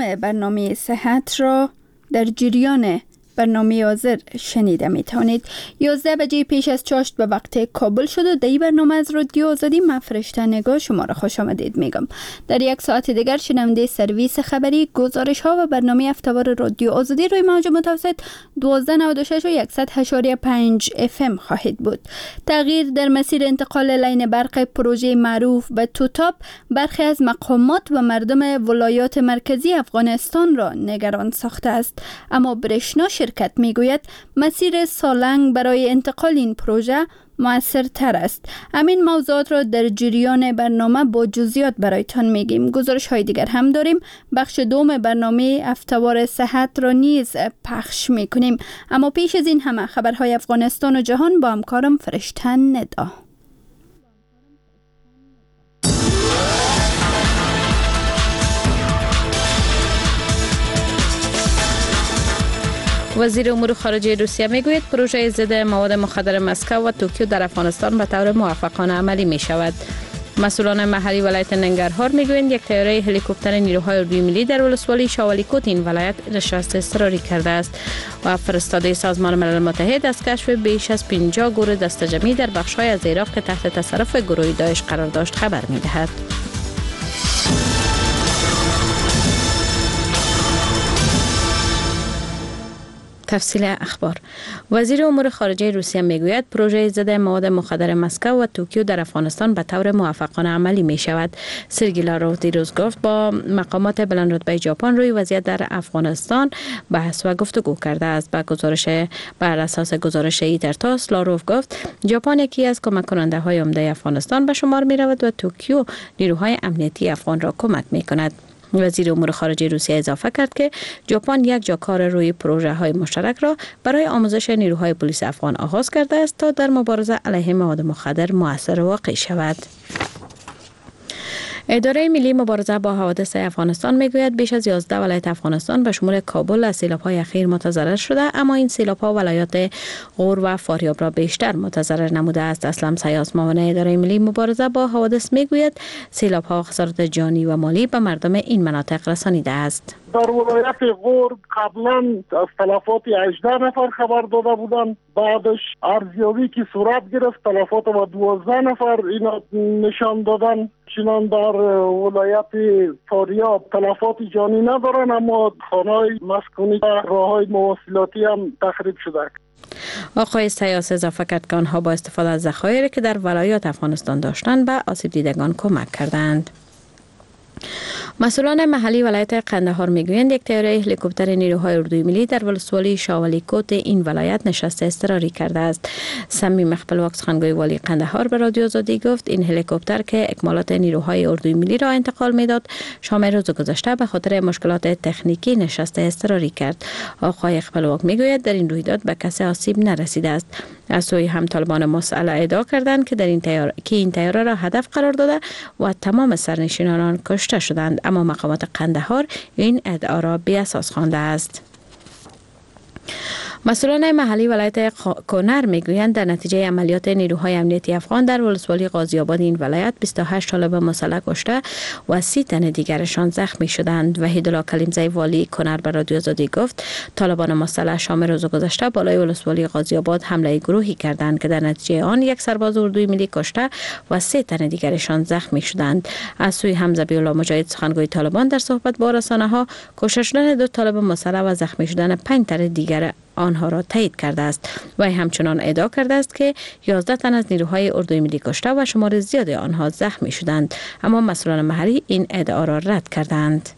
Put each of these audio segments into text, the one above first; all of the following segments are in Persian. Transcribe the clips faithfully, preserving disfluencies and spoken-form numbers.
برنامه صحت را در جریان برنامه حاضر شنیده می توانید. یازده بجه پیش از چاشت به وقت کابل شد و در این برنامه از رادیو آزادی من فرشته نگاه شما را خوش آمدید میگم. در یک ساعت دیگر شنونده سرویس خبری، گزارش ها و برنامه هفته‌وار رادیو آزادی روی موج متوسط دوازده نود و شش و صد و پنج اف ام خواهید بود. تغییر در مسیر انتقال لاین برق پروژه معروف به توتاپ برخی از مقامات و مردم ولایات مرکزی افغانستان را نگران ساخته است، اما برشنا شرکت میگوید مسیر سالنگ برای انتقال این پروژه موثرتر است. همین موضوعات را در جریان برنامه با جزئیات برایتان میگیم. گزارش های دیگر هم داریم. بخش دوم برنامه هفته‌وار صحت را نیز پخش میکنیم. اما پیش از این همه خبرهای افغانستان و جهان با همکارم فرشته ندا. وزیر امور خارجه روسیه میگوید پروژه ضد مواد مخدر مسکو و توکیو در افغانستان به طور موفقانه عملی می شود. مسئولان محلی ولایت ننگرهار میگویند یک طیاره هلیکوپتر نیروهای اردوی ملی در ولسوالی شاوالیکوت این ولایت نشست اضطراری کرده است و فرستاده سازمان ملل متحد از کشف بیش از پنجاه گروه دسته‌جمعی در بخش‌های از عراق که تحت تصرف گروه داعش قرار داشت خبر می‌دهد. تفصیل اخبار. وزیر امور خارجه روسیه میگوید پروژه ضد مواد مخدر مسکو و توکیو در افغانستان به طور موفقانه عملی می شود. سرگی لاروف دیروز گفت با مقامات بلند رتبه ژاپن روی وضعیت در افغانستان بحث و گفتگو کرده است. به گزارش بر اساس گزارش ایترتاس، لاروف گفت ژاپن یکی از کمک کننده های عمده افغانستان به شمار می رود و توکیو نیروهای امنیتی افغان را کمک می کند. وزیر امور خارجه روسیه اضافه کرد که ژاپن یک جا کار روی پروژه های مشترک را برای آموزش نیروهای پلیس افغان آغاز کرده است تا در مبارزه علیه مواد مخدر مؤثر واقع شود. اداره ملی مبارزه با حوادث افغانستان میگوید بیش از یازده ولایت افغانستان به شمول کابل از سیلاب‌های اخیر متضرر شده، اما این سیلاب‌ها ولایات غور و فاریاب را بیشتر متضرر نموده است. اسلم سیاس معاون اداره ملی مبارزه با حوادث میگوید سیلاب‌ها خسارت جانی و مالی به مردم این مناطق رسانیده است. در ولایت غور قبلا از تلفات هجده نفر خبر داده بودند، بعدش ارزیابی که صورت گرفت تلفات با دوازده نفر اینا نشان دادن. چنان در ولایت فاریاب تلفات جانی ندارن، اما خانه‌های مسکونی و راه‌های مواصلاتی هم تخریب شده. آقای سیاس اضافه کرد که آنها با استفاده از ذخایر که در ولایات افغانستان داشتند به آسیب دیدگان کمک کردند. مسئولان محلی ولایت قندهار میگویند یک طیاره هلیکوپتر نیروهای اردوی ملی در ولسوالی شاوالیکوت این ولایت نشست اضطراری کرده است. صمیم خپلواک سخنگوی والی قندهار به رادیو آزادی گفت این هلیکوپتر که اکمالات نیروهای اردوی ملی را انتقال میداد شام روز گذشته به خاطر مشکلات تکنیکی نشست اضطراری کرد. آقای خپلواک میگوید در این رویداد به کسی آسیب نرسیده است. از سوی هم طالبان مسئله ادعا کردند که در این طیاره که این طیاره را هدف قرار داده و تمام سرنشینان آن کشته شدند، اما مقامات قندهار این ادعا را بی اساس خوانده است. مسئولان محلی ولایت کنر میگویند در نتیجه عملیات نیروهای امنیتی افغان در ولسوالی غازی آباد این ولایت بیست و هشت طالب مسلح کشته و سی تن دیگرشان زخمی شدند. وحیدالله کلیمزی والی کنر به رادیو آزادی گفت طالبان مسلح شام روز گذشته بالای ولسوالی غازی آباد حمله گروهی کردند که در نتیجه آن یک سرباز اردوی ملی کشته و سه تن دیگرشان زخمی شدند. از سوی هم ذبیح الله مجاهد سخنگوی طالبان در صحبت با رسانه‌ها کشته شدن دو طالب مسلح و زخمی شدن پنج تن دیگر آنها را تایید کرده است و همچنان ادعا کرده است که یازده تن از نیروهای اردوی ملی کشته و شمار زیاد آنها زخمی شدند، اما مسئولان محلی این ادعا را رد کردند.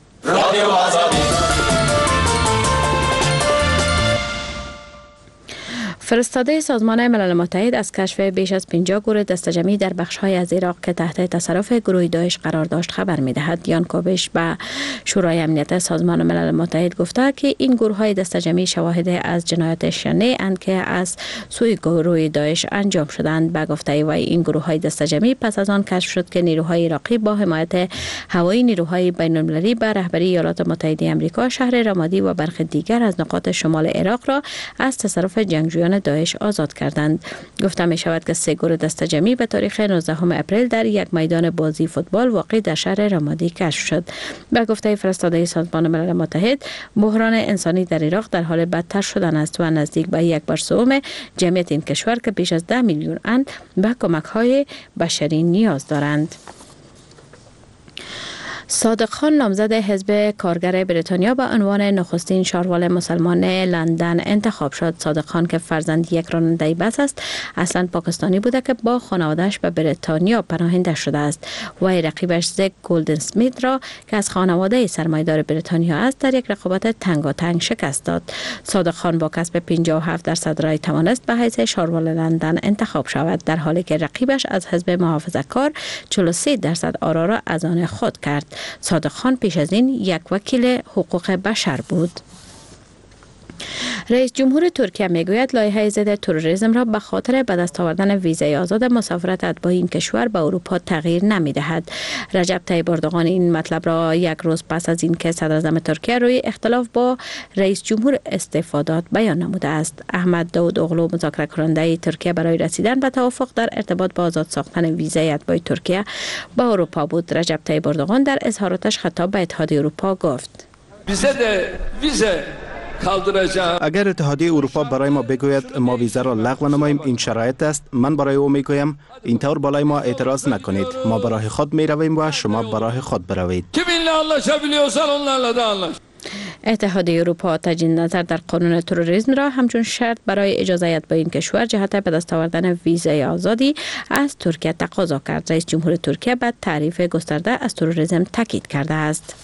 فرستاده سازمان ملل متحد از کشف بیش از پنجاه گروه دسته‌جمعی در بخش‌های از عراق که تحت تصرف گروه داعش قرار داشت خبر می‌دهد. یان کوبش به شورای امنیت سازمان ملل متحد گفته که این گروه‌های دسته‌جمعی شواهد از جنایات شنیع اند که از سوی گروه داعش انجام شدند. به گفته وی این گروه‌های دسته‌جمعی پس از آن کشف شد که نیروهای عراقی با حمایت هوایی نیروهای بین‌المللی به رهبری ایالات متحده آمریکا شهر رمادی و برخی دیگر از نقاط شمال عراق را از تصرف جنگجویان داعش آزاد کردند. گفته می شود که سه گروه دسته جمعی به تاریخ نوزدهم اپریل در یک میدان بازی فوتبال واقع در شهر رمادی کشف شد. به گفته فرستاده سازمان ملل متحد، بحران انسانی در عراق در حال بدتر شدن است و نزدیک به یک بر سوم جمعیت این کشور که بیش از ده میلیون اند به کمک های بشری نیاز دارند. صادق خان نامزد حزب کارگر بریتانیا به عنوان نخستین شاروال مسلمان لندن انتخاب شد. صادق خان که فرزند یک راننده بس است، اصلا پاکستانی بوده که با خانواده‌اش به بریتانیا پناهنده شده است و رقیبش زک گلدن اسمیت را که از خانواده سرمایه‌دار بریتانیا است در یک رقابت تنگاتنگ شکست داد. صادق خان با کسب پنجاه و هفت درصد رای توانست به حیث شاروال لندن انتخاب شود، در حالی که رقیبش از حزب محافظه‌کار چهل و سه درصد آرا را از آن خود کرد. صادق خان پیش از این یک وکیل حقوق بشر بود. رئیس جمهور ترکیه میگوید لایحه ضد تروریسم را به خاطر به دست آوردن ویزای آزاد مسافرت اتباع این کشور به اروپا تغییر نمیدهد. رجب طیب اردوغان این مطلب را یک روز پس از اینکه صدر اعظم ترکیه روی اختلاف با رئیس جمهور استعفا داد بیان نموده است. احمد داود اوغلو مذاکره کننده ترکیه برای رسیدن به توافق در ارتباط با آزاد ساختن ویزای اتباع ترکیه به اروپا بود. رجب طیب اردوغان در اظهاراتش خطاب به اتحادیه اروپا گفت: اگر اتحادیه اروپا برای ما بگوید ما ویزا را لغو نماییم، این شرایط است، من برای او میگویم اینطور بالای ما اعتراض نکنید، ما برای خود میرویم و شما برای خود بروید. اتحادیه اروپا تجدید نظر در قانون تروریسم را همچون شرط برای اجازه اتباع این کشور جهت به دست آوردن ویزای آزادی از ترکیه تقاضا کرد. رئیس جمهور ترکیه به تعریف گسترده از تروریسم تاکید کرده است.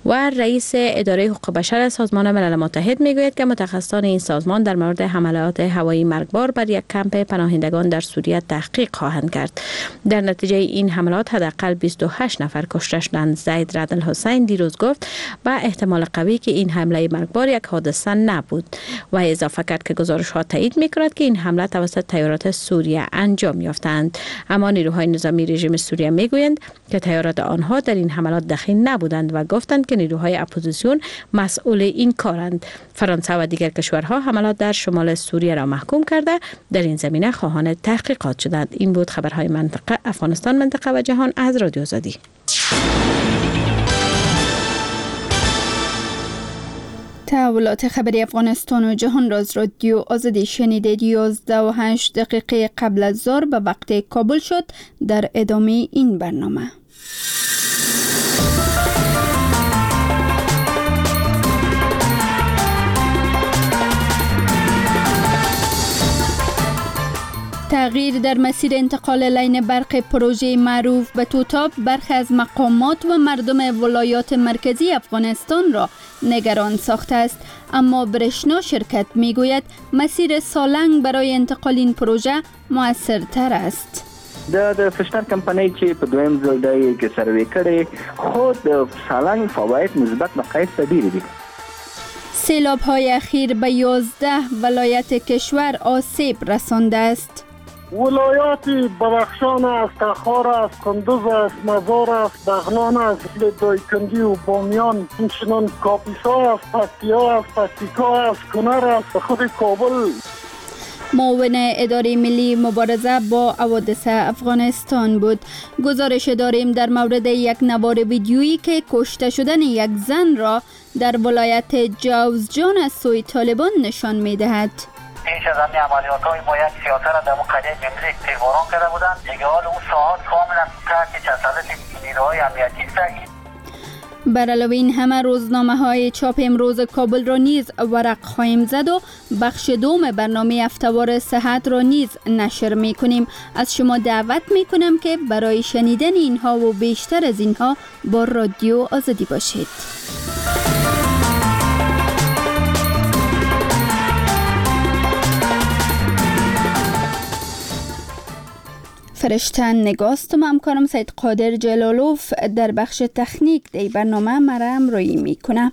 و رئیس اداره حقوق بشر سازمان ملل متحد میگوید که متخصصان این سازمان در مورد حملات هوایی مرگبار بر یک کمپ پناهندگان در سوریه تحقیق خواهند کرد. در نتیجه این حملات حداقل بیست و هشت نفر کشته شدند. زید رد الحسین دیروز گفت با احتمال قوی که این حمله مرگبار یک حادثه نبود و اضافه کرد که گزارش ها تایید میکند که این حمله توسط طیارات سوریه انجام یافتند. اما نیروهای نظامی رژیم سوریه میگویند که طیارات آنها در این حملات دخیل نبودند و گفتند که نیروهای اپوزیسیون مسئول این کارند. فرانسه و دیگر کشورها حملات در شمال سوریه را محکوم کرده در این زمینه خواهان تحقیقات شدند. این بود خبرهای منطقه افغانستان، منطقه و جهان از رادیو آزادی. تحولات خبری افغانستان و جهان را از رادیو آزادی شنیدید. یازده و هشت دقیقه قبل از ظهر به وقت کابل شد. در ادامه این برنامه تغییر در مسیر انتقال لین برق پروژه معروف به توتاب برخی از مقامات و مردم ولایات مرکزی افغانستان را نگران ساخته است. اما برشنا شرکت میگوید مسیر سالنگ برای انتقال این پروژه موثرتر است. د د فشتر کمپنۍ چې په دویم ځل دی کې سروې کړې، خو د سالنګ فواید نسبت به قیس ته ډېر دي. سیلاب های اخیر به یازده ولایت کشور آسیب رسانده است. ولایات بدخشان است، تخار است، کندز است، مزار است، بغلان است، دایکندی و بامیان، همچنان کاپیسا است، پکتیا است، پکتیکا است، کنر است، خود کابل. معاون اداره ملی مبارزه با حوادث افغانستان بود. گزارش داریم در مورد یک نوار ویدیویی که کشته شدن یک زن را در ولایت جوزجان از سوی طالبان نشان می‌دهد. پیش از همین عملیات های ما یک سیاسه را در قریه جمله تیرباران کرده بودند. دیگه حال اون ساعت کاملا تحت تسلط نیروهای امنیتی است. بر علاوه این همه روزنامه های چاپ امروز کابل را نیز ورق خواهیم زد و بخش دوم برنامه هفته‌وار صحت را نیز نشر می کنیم. از شما دعوت می کنم که برای شنیدن اینها و بیشتر از اینها با رادیو آزادی باشید. فرشته نگاستم، همکارم سید قادر جلالوف در بخش تکنیک دی برنامه مرا همراهی میکنه.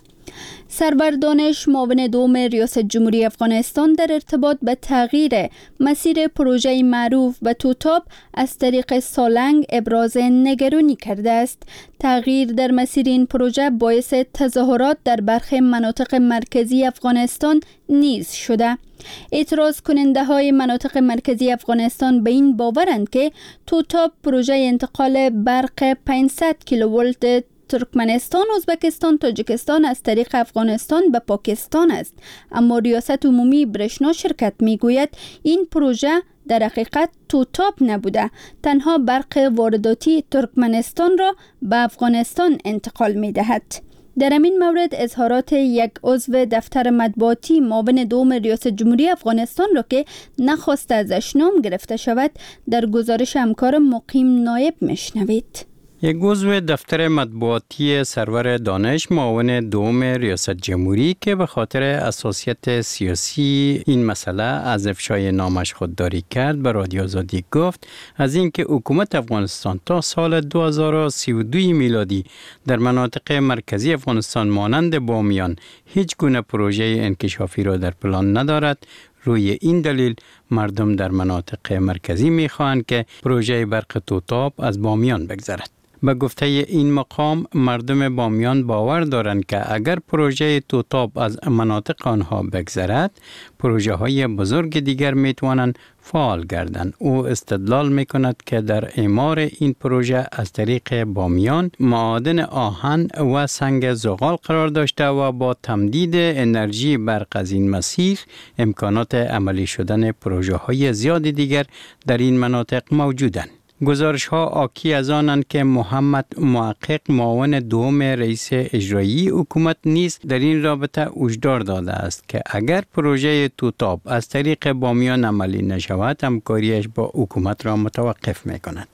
سرور دانش، معاون دوم ریاست جمهوری افغانستان، در ارتباط به تغییر مسیر پروژه معروف به توتاب از طریق سالنگ ابراز نگرانی کرده است. تغییر در مسیر این پروژه باعث تظاهرات در برخی مناطق مرکزی افغانستان نیز شده. اعتراض کننده های مناطق مرکزی افغانستان به این باورند که توتاب پروژه انتقال برق پانصد کیلوولت ترکمنستان، ازبکستان، تاجیکستان از طریق افغانستان به پاکستان است. اما ریاست عمومی برشنا شرکت میگوید این پروژه در حقیقت توتاب نبوده، تنها برق وارداتی ترکمنستان را به افغانستان انتقال میدهد. در این مورد اظهارات یک عضو دفتر مطبوعاتی معاون دوم ریاست جمهوری افغانستان را که نخواست ازش نام گرفته شود در گزارش همکار مقیم نایب میشنوید. یک عضو دفتر مطبوعاتی سرور دانش، معاون دوم ریاست جمهوری، که به خاطر اساسیت سیاسی این مسئله از افشای نامش خودداری کرد، به رادیو آزادی گفت از اینکه حکومت افغانستان تا سال دو هزار و سی و دو میلادی در مناطق مرکزی افغانستان مانند بامیان هیچ گونه پروژه انکشافی را در پلان ندارد، روی این دلیل مردم در مناطق مرکزی میخواهند که پروژه برق توتاب از بامیان بگذرد. به گفته این مقام، مردم بامیان باور دارند که اگر پروژه توتاب از مناطق آنها بگذرد، پروژه های بزرگ دیگر می توانند فعال گردند. او استدلال می کند که در اعمار این پروژه از طریق بامیان معادن آهن و سنگ زغال قرار داشته و با تمدید انرژی برق از این مسیر امکانات عملی شدن پروژه های زیاد دیگر در این مناطق موجودند. گزارش ها آکی از آنند که محمد محقق، معاون دوم رئیس اجرایی حکومت، نیز در این رابطه هشدار داده است که اگر پروژه توتاب از طریق بامیان عملی نشود، همکاریش با حکومت را متوقف می کند.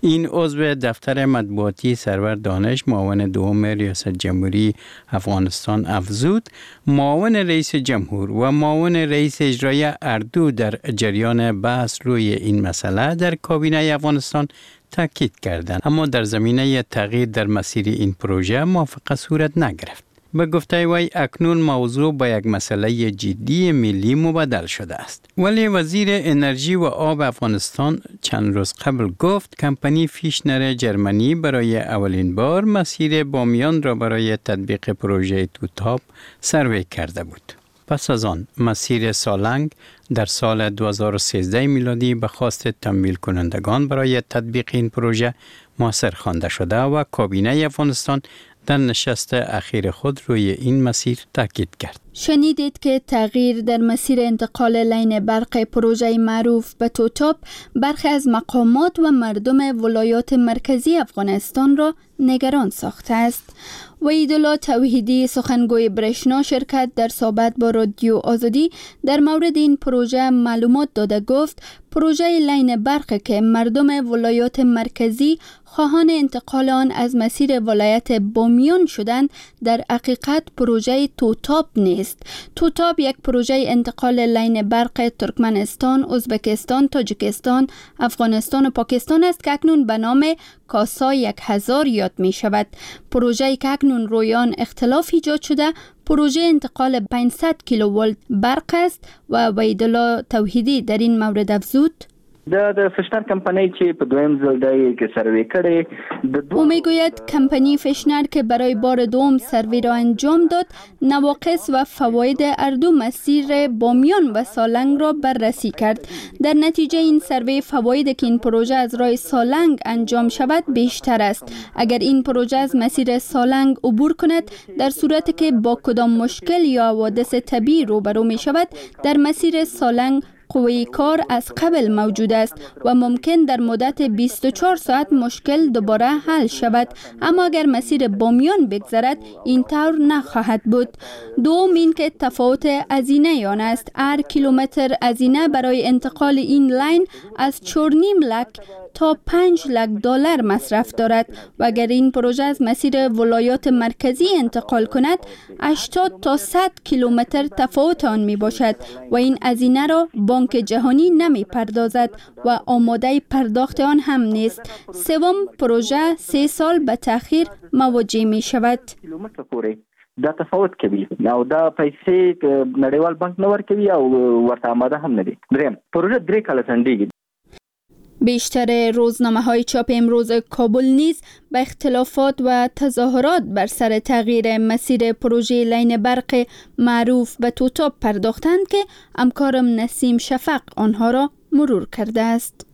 این عضو دفتر مطبوعاتی سرور دانش، معاون دوم ریاست جمهوری افغانستان، افزود معاون رئیس جمهور و معاون رئیس اجرایی اردو در جریان بحث روی این مسئله در کابینه افغانستان تاکید کردند، اما در زمینه تغییر در مسیر این پروژه موافقه صورت نگرفت. به گفته وی اکنون موضوع به یک مسئله جدی ملی مبدل شده است. ولی وزیر انرژی و آب افغانستان چند روز قبل گفت کمپانی فیشنر جرمنی برای اولین بار مسیر بامیان را برای تطبیق پروژه توتاب سروی کرده بود. پس از آن مسیر سالنگ در سال دو هزار و سیزده میلادی به خواست تمویل کنندگان برای تطبیق این پروژه موثر خوانده شده و کابینه افغانستان در نشست اخیر خود روی این مسیر تاکید کرد. شنیدید که تغییر در مسیر انتقال لین برق پروژه معروف به توتاب برخی از مقامات و مردم ولایات مرکزی افغانستان را نگران ساخته است. وحیدالله توحیدی، سخنگوی برشنا شرکت، در صحبت با رادیو آزادی در مورد این پروژه معلومات داده گفت پروژه لین برق که مردم ولایات مرکزی خواهان انتقال آن از مسیر ولایت بامیان شدند در حقیقت پروژه توتاب نیست. توتاب یک پروژه انتقال لین برق ترکمنستان، ازبکستان، تاجیکستان، افغانستان و پاکستان است که اکنون به نام کاسا یک هزار یاد می شود. پروژه که اکنون روی آن اختلاف ایجاد شده پروژه انتقال پانصد کیلوولت برق است و وحیدالله توحیدی در این مورد افزود د د فشنر کمپنۍ چې په دویم ځل دی کې سروې کړې. او میگوید کمپانی فشنر که برای بار دوم سروی را انجام داد نواقص و فواید هر دو مسیر بامیان و سالنگ را بررسی کرد. در نتیجه این سروی فواید که این پروژه از راه سالنگ انجام شود بیشتر است. اگر این پروژه از مسیر سالنگ عبور کند در صورت که با کدام مشکل یا حوادث طبیعی روبرو می شود در مسیر سالنگ قوه کار از قبل موجود است و ممکن در مدت بیست و چهار ساعت مشکل دوباره حل شود، اما اگر مسیر بامیان بگذرد این طور نخواهد بود. دوم این که تفاوت هزینه آن است. هر کیلومتر هزینه برای انتقال این لاین از چهار و نیم لک تا پنج لک دلار مصرف دارد و اگر این پروژه از مسیر ولایات مرکزی انتقال کند هشتاد تا صد کیلومتر تفاوت آن می باشد و این هزینه را بانک جهانی نمی پردازد و آماده پرداخت آن هم نیست. سوم، پروژه سه سال به تأخیر مواجه می شود. دا تفاوت کوي او دا پیسې نړیوال بانک نه ورکوي او ورته آماده هم نه دي. دریم، پروژه درې کاله ځنډېږي. بیشتر روزنامه های چاپ امروز کابل نیز به اختلافات و تظاهرات بر سر تغییر مسیر پروژه لین برق معروف به توتاپ پرداختند که همکارم نسیم شفق آنها را مرور کرده است.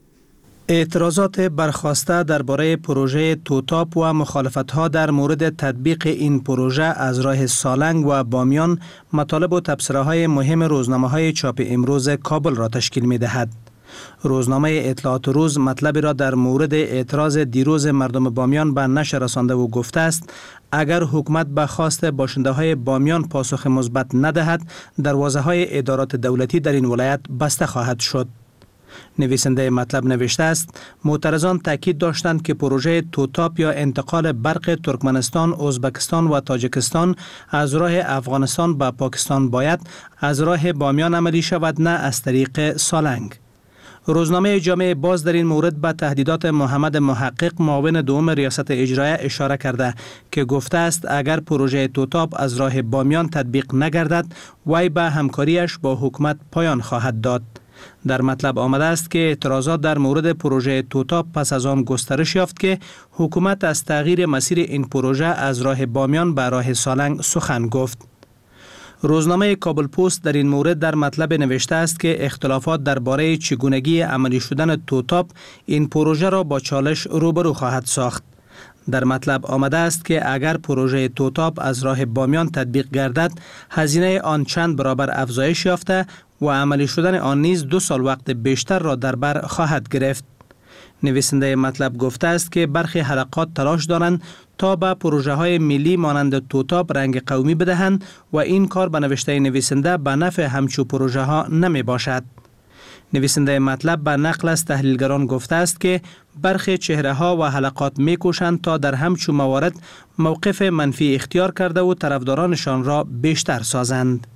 اعتراضات برخاسته درباره پروژه توتاپ و مخالفت‌ها در مورد تطبیق این پروژه از راه سالنگ و بامیان مطالب و تبصره‌های مهم روزنامه‌های چاپ امروز کابل را تشکیل می‌دهد. روزنامه اطلاعات روز مطلبی را در مورد اعتراض دیروز مردم بامیان به نشر رسانده و گفته است اگر حکومت به خواست باشنده های بامیان پاسخ مثبت ندهد، دروازه های ادارات دولتی در این ولایت بسته خواهد شد. نویسنده مطلب نوشته است معترضان تاکید داشتند که پروژه توتاپ یا انتقال برق ترکمنستان، ازبکستان و تاجیکستان از راه افغانستان به پاکستان باید از راه بامیان عملی شود، نه از طریق سالنگ. روزنامه جامعه باز در این مورد به تهدیدات محمد محقق معاون دوم ریاست اجرایه اشاره کرده که گفته است اگر پروژه توتاپ از راه بامیان تطبیق نگردد، وی به همکاریش با حکومت پایان خواهد داد. در مطلب آمده است که اعتراضات در مورد پروژه توتاپ پس از آن گسترش یافت که حکومت از تغییر مسیر این پروژه از راه بامیان به راه سالنگ سخن گفت. روزنامه کابل پست در این مورد در مطلب نوشته است که اختلافات درباره چگونگی عملی شدن توتاپ این پروژه را با چالش روبرو خواهد ساخت. در مطلب آمده است که اگر پروژه توتاپ از راه بامیان تطبیق گردد، هزینه آن چند برابر افزایش یافته و عملی شدن آن نیز دو سال وقت بیشتر را در بر خواهد گرفت. نویسنده مطلب گفته است که برخی حلقات تلاش دارند تا به پروژه های ملی مانند توتاپ رنگ قومی بدهند و این کار به نوشته نویسنده به نفع همچو پروژه ها نمی باشد. نویسنده مطلب به نقل از تحلیلگران گفته است که برخی چهره ها و حلقات می کوشند تا در همچو موارد موقف منفی اختیار کرده و طرفدارانشان را بیشتر سازند.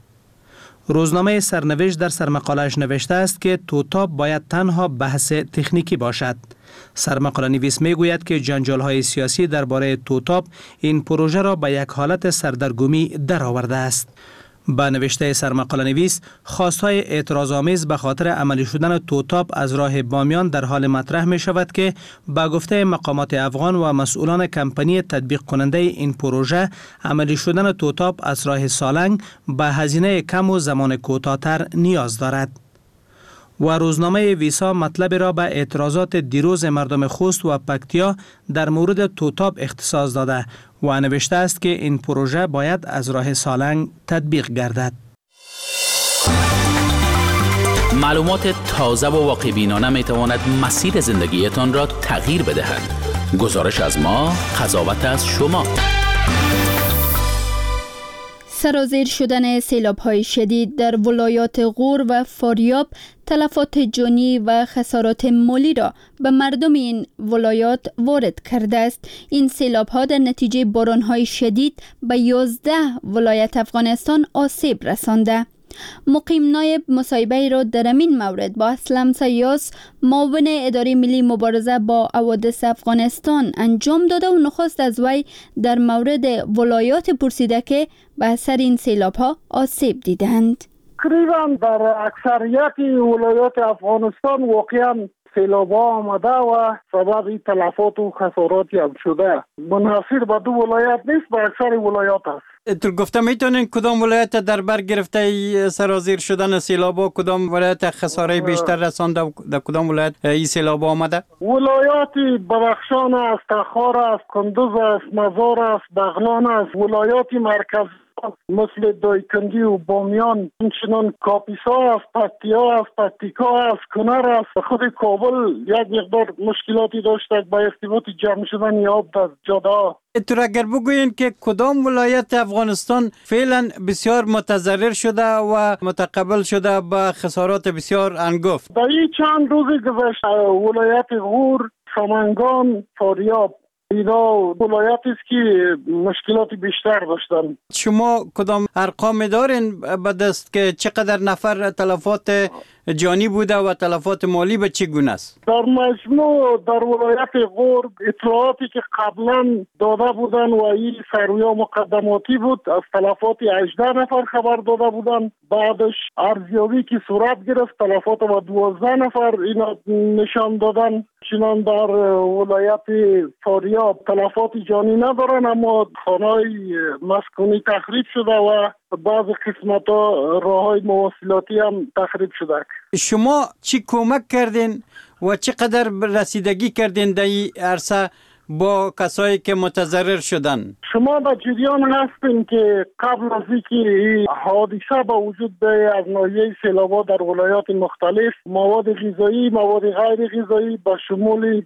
روزنامه سرنوشت در سرمقاله‌اش نوشته است که توتاپ باید تنها بحث تکنیکی باشد. سرمقاله نویس میگوید که جنجال‌های سیاسی درباره توتاپ این پروژه را به یک حالت سردرگمی درآورده است. با نوشته سرمقاله نویس، خواستهای اعتراض آمیز به خاطر عملی شدن توتاپ از راه بامیان در حال مطرح می شود که با گفته مقامات افغان و مسئولان کمپانی تطبیق کننده این پروژه، عملی شدن توتاپ از راه سالنگ به هزینه کم و زمان کوتاه‌تر نیاز دارد. و روزنامه ویسا مطلب را به اعتراضات دیروز مردم خوست و پکتیا در مورد توتاپ اختصاص داده و نوشته است که این پروژه باید از راه سالنگ تطبیق گردد. معلومات تازه و واقع بینانه می تواند مسیر زندگیتان را تغییر بدهد. گزارش از ما، قضاوت از شما. سرازیر شدن سیلاب‌های شدید در ولایات غور و فاریاب تلفات جانی و خسارات مالی را به مردم این ولایات وارد کرده است. این سیلاب‌ها در نتیجه باران‌های شدید به یازده ولایت افغانستان آسیب رسانده. مقیم نایب مصاحبه را در این مورد با اسلم سیاس، معاون اداره ملی مبارزه با حوادث افغانستان انجام داده و نخست از وی در مورد ولایات پرسیده که به اثر این سیلاب ها آسیب دیدند. تقریبا در اکثریت ولایات افغانستان واقعا سیلاب ها آمده و سبب تلفات و خساراتی هم شده. منحصر به دو ولایت نیست، به اکثر ولایات است. تو گفته میتونین کدام ولایت در بر گرفته سرازیر شدن سیلاب ها، کدام ولایت خساره بیشتر رسانده و در کدام ولایت این سیلاب آمده؟ ولایات بدخشان است، تخار است، کندز است، مزار است، بغلان است، ولایات مرکز مثل دایکندی و بامیان، همچنان کاپیسا است، پکتیا است، پکتیکا است، کنر است. خود کابل یک مقدار مشکلاتی داشته با ارتباط جمع شدن آب در جاده ها. تو اگر بگویین که کدام ولایت افغانستان فعلا بسیار متضرر شده و متقبل شده به خسارات بسیار انگفت؟ در این چند روز گذشته ولایت غور، سمنگان، فاریاب، اینا ولایتی است که مشکلات بیشتر داشتن. شما کدام ارقام دارین به دست که چقدر نفر تلفات جانی بوده و تلفات مالی به چه گونه است؟ در مجموع در ولایت غور اطلاعاتی که قبلا داده بودن و این سرویا مقدماتی بود، از تلفات هجده نفر خبر داده بودن. بعدش ارزیابی که صورت گرفت تلفات و دوازده نفر اینا نشان دادن. چنان در ولایت فاریاب تلفات جانی ندارن، اما خانه‌های مسکونی تخریب شده و بعض قسمت‌ها راه‌های مواصلاتی هم تخریب شده. شما چی کمک کردین و چقدر رسیدگی کردین در این عرصه با کسایی که متضرر شدن؟ شما در جریان هستین که قبل از اینکه حادثه با وجود به از ناحیه سیلاب‌ها در ولایات مختلف مواد غذایی، مواد غیر غذایی با شمول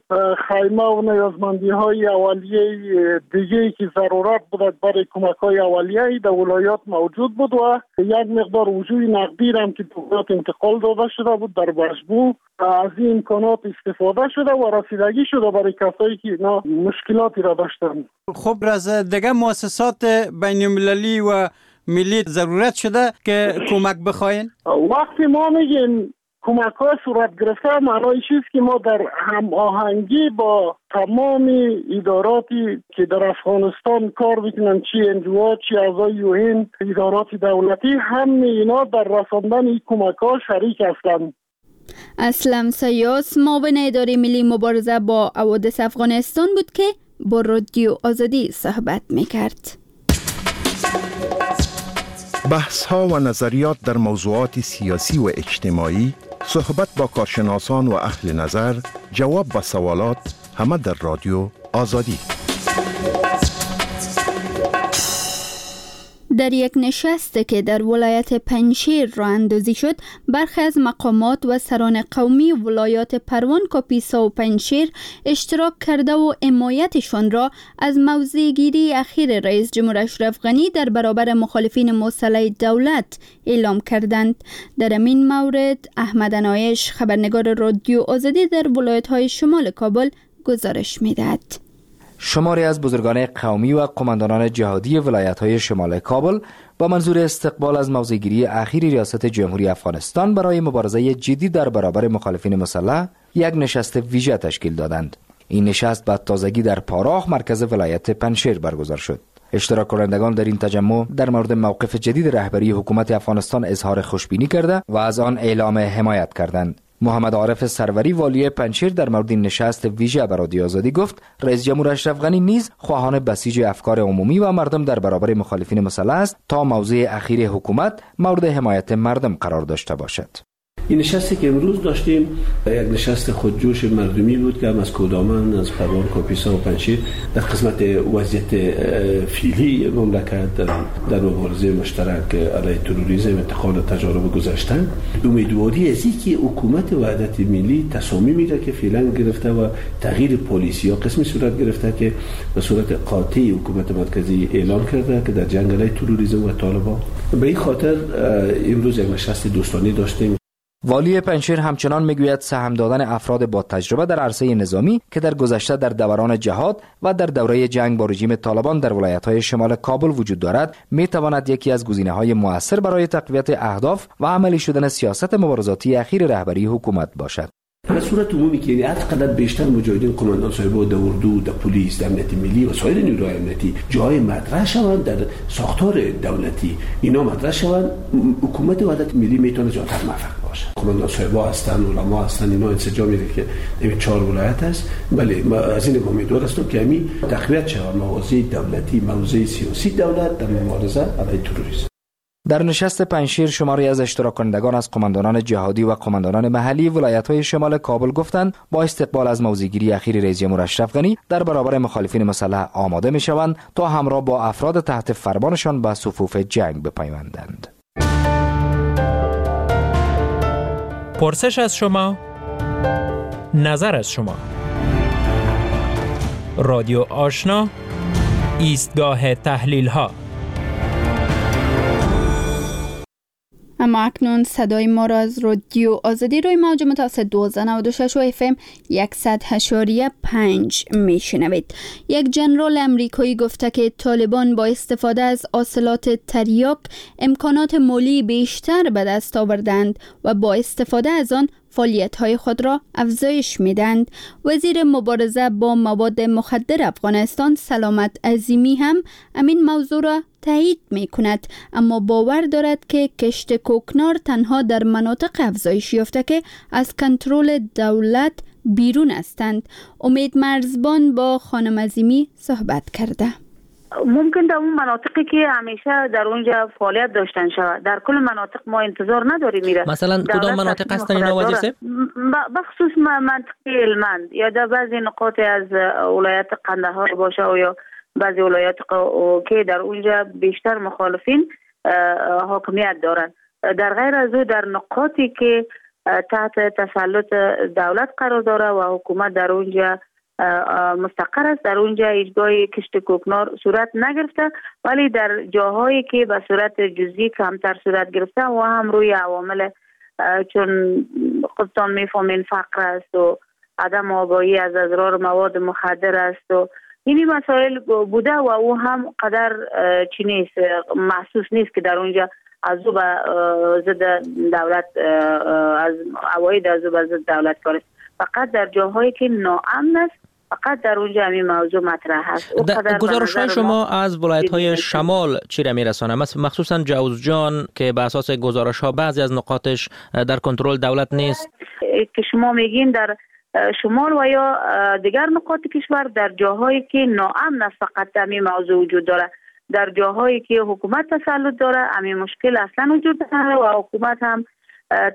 خیمه و نیازمندی‌های اولیه دیگه که ضرورت بود برای کمک‌های اولیه در ولایات موجود بود و یک مقدار وجوه نقدی هم که به ولایات انتقال داده شده بود در مجموع از این امکانات استفاده شده و رسیدگی شده برای کسایی که اینا مشکلاتی را داشتن. خب از دیگه مؤسسات بین المللی و ملی ضرورت شده که کمک بخواین؟ وقتی ما میگیم کمک ها صورت گرفته، معنای چیست که ما در هم آهنگی با تمام اداراتی که در افغانستان کار میکنن، چی انجوها، چی اعضای یو ان، ادارات دولتی، همه اینا در رساندن این کمک ها شریک هستند. اسلم سیاس، معاون اداره ملی مبارزه با حوادث افغانستان بود که با رادیو آزادی صحبت میکرد. بحث ها و نظریات در موضوعات سیاسی و اجتماعی، صحبت با کارشناسان و اهل نظر، جواب به سوالات، همه در رادیو آزادی. در یک نشست که در ولایت پنجشیر راه اندازی شد، برخی از مقامات و سران قومی ولایات پروان، کاپیسا و پنجشیر اشتراک کرده و حمایتشان را از موضع گیری اخیر رئیس جمهور اشرف غنی در برابر مخالفین مسلح دولت اعلام کردند. در این مورد احمد نایش، خبرنگار رادیو آزادی در ولایت های شمال کابل گزارش میدهد. شماری از بزرگان قومی و قماندانان جهادی ولایت‌های شمال کابل با منظور استقبال از موضع‌گیری اخیر ریاست جمهوری افغانستان برای مبارزه جدی در برابر مخالفین مسلح یک نشست ویژه تشکیل دادند. این نشست به تازگی در پاراخ، مرکز ولایت پنجشیر برگزار شد. اشتراک کنندگان در این تجمع در مورد موقف جدید رهبری حکومت افغانستان اظهار خوشبینی کرده و از آن اعلام حمایت کردند. محمد عارف سروری، والی پنجشیر، در مورد این نشست ویژه به رادیو آزادی گفت رئیس جمهور اشرف غنی نیز خواهان بسیج افکار عمومی و مردم در برابر مخالفین مسلح است تا موضع اخیر حکومت مورد حمایت مردم قرار داشته باشد. این نشستی که امروز داشتیم یک نشست خودجوش مردمی بود که هم از کودامن، از پروان، کاپیسا و پنجشیر در قسمت وضعیت فعلی مملکت در, در مبارزه مشترک علیه تروریسم، انتقال تجارب گذشته، امیدواری از اینکه حکومت وحدت ملی تصامیمی را که فعلا گرفته و تغییر پالیسی ها قسمی صورت گرفته که به صورت قاطع حکومت مرکزی اعلام کرده که در جنگ علیه تروریسم و طالبان. به این خاطر امروز یک نشست دوستانه داشتیم. والی پنجشیر همچنان میگوید سهم دادن افراد با تجربه در عرصه نظامی که در گذشته در دوران جهاد و در دوره جنگ با رژیم طالبان در ولایت‌های شمال کابل وجود دارد، میتواند یکی از گزینه‌های مؤثر برای تقویت اهداف و عملی شدن سیاست مبارزاتی اخیر رهبری حکومت باشد. به صورت عمومی که یعنی هر قدر بیشتر مجاهدین قماندان صاحب در اردو، در پلیس، در امنیت ملی و سایر نیروهای امنیتی جای مطرح شوند در ساختار دولتی، اینا مطرح شوند، حکومت وحدت ملی میتونه زیادتر موفق باشه. قماندان صاحبا هستن، علما هستن، اینا انسجام میده که این چهار ولایت است. بله، ما از این امیدوار هستم که همین تقویت شود موضع دولتی، موضع سیاسی دولت در مبارزه علیه تروریسم. در نشست پنجشیر شماری از اشتراک کنندگان از قماندانان جهادی و قماندانان محلی ولایت‌های شمال کابل گفتند با استقبال از موضع‌گیری اخیر رئیس جمهور اشرف غنی در برابر مخالفین مسلح آماده می‌شوند تا همراه با افراد تحت فرمانشان به صفوف جنگ بپیوندند. پرسش از شما، نظر از شما. رادیو آشنا، ایستگاه تحلیل ها. اما اکنون صدای ما را از رادیو آزادی روی موج متوسط دوازده نود و شش و اف ام صد و پنج میشنوید. یک جنرال امریکایی گفته که طالبان با استفاده از حاصلات تریاک امکانات مالی بیشتر به دست آوردند و با استفاده از آن فعالیت‌های خود را افزایش می‌دهند. وزیر مبارزه با مواد مخدر افغانستان سلامت عظیمی هم همین موضوع را تایید می‌کند، اما باور دارد که کشت کوکنار تنها در مناطق افزایش یافته که از کنترل دولت بیرون هستند. امید مرزبان با خانم عظیمی صحبت کرده. ممکن در اون مناطقی که همیشه در اونجا فعالیت داشتن شود، در کل مناطق ما انتظار نداریم میره. مثلا کدام مناطق هستن اینا وزیر صاحب؟ بخصوص منطقه هلمند یا در بعضی نقاط از ولایت قندهار باشه و یا بعضی ولایات که در اونجا بیشتر مخالفین حاکمیت دارن. در غیر از او در نقاطی که تحت تسلط دولت قرار داره و حکومت در اونجا مستقر است، در اونجا هیچگاه کشت کوکنار صورت نگرفته، ولی در جاهایی که به صورت جزئی کمتر صورت گرفته و هم روی عوامل چون خودتان میفهمین فقر است و عدم آگاهی از اضرار مواد مخدر است و اینی مسائل بوده و او هم قدر چی نیست، محسوس نیست که در اونجا از او به ضد دولت، از عواید از او به ضد دولت کار است. فقط در جاهایی که ناامن است فقط در اونجا همین موضوع مطرح هست. گزارش های شما از ولایت های شمال چی را میرسانه؟ مخصوصا جوزجان که به اساس گزارش ها بعضی از نقاطش در کنترل دولت نیست. که شما میگین در شمال و یا دیگر نقاط کشور در جاهایی که ناامن است فقط همین موضوع وجود داره. در جاهایی که حکومت تسلط داره همین مشکل اصلا وجود نداره و حکومت هم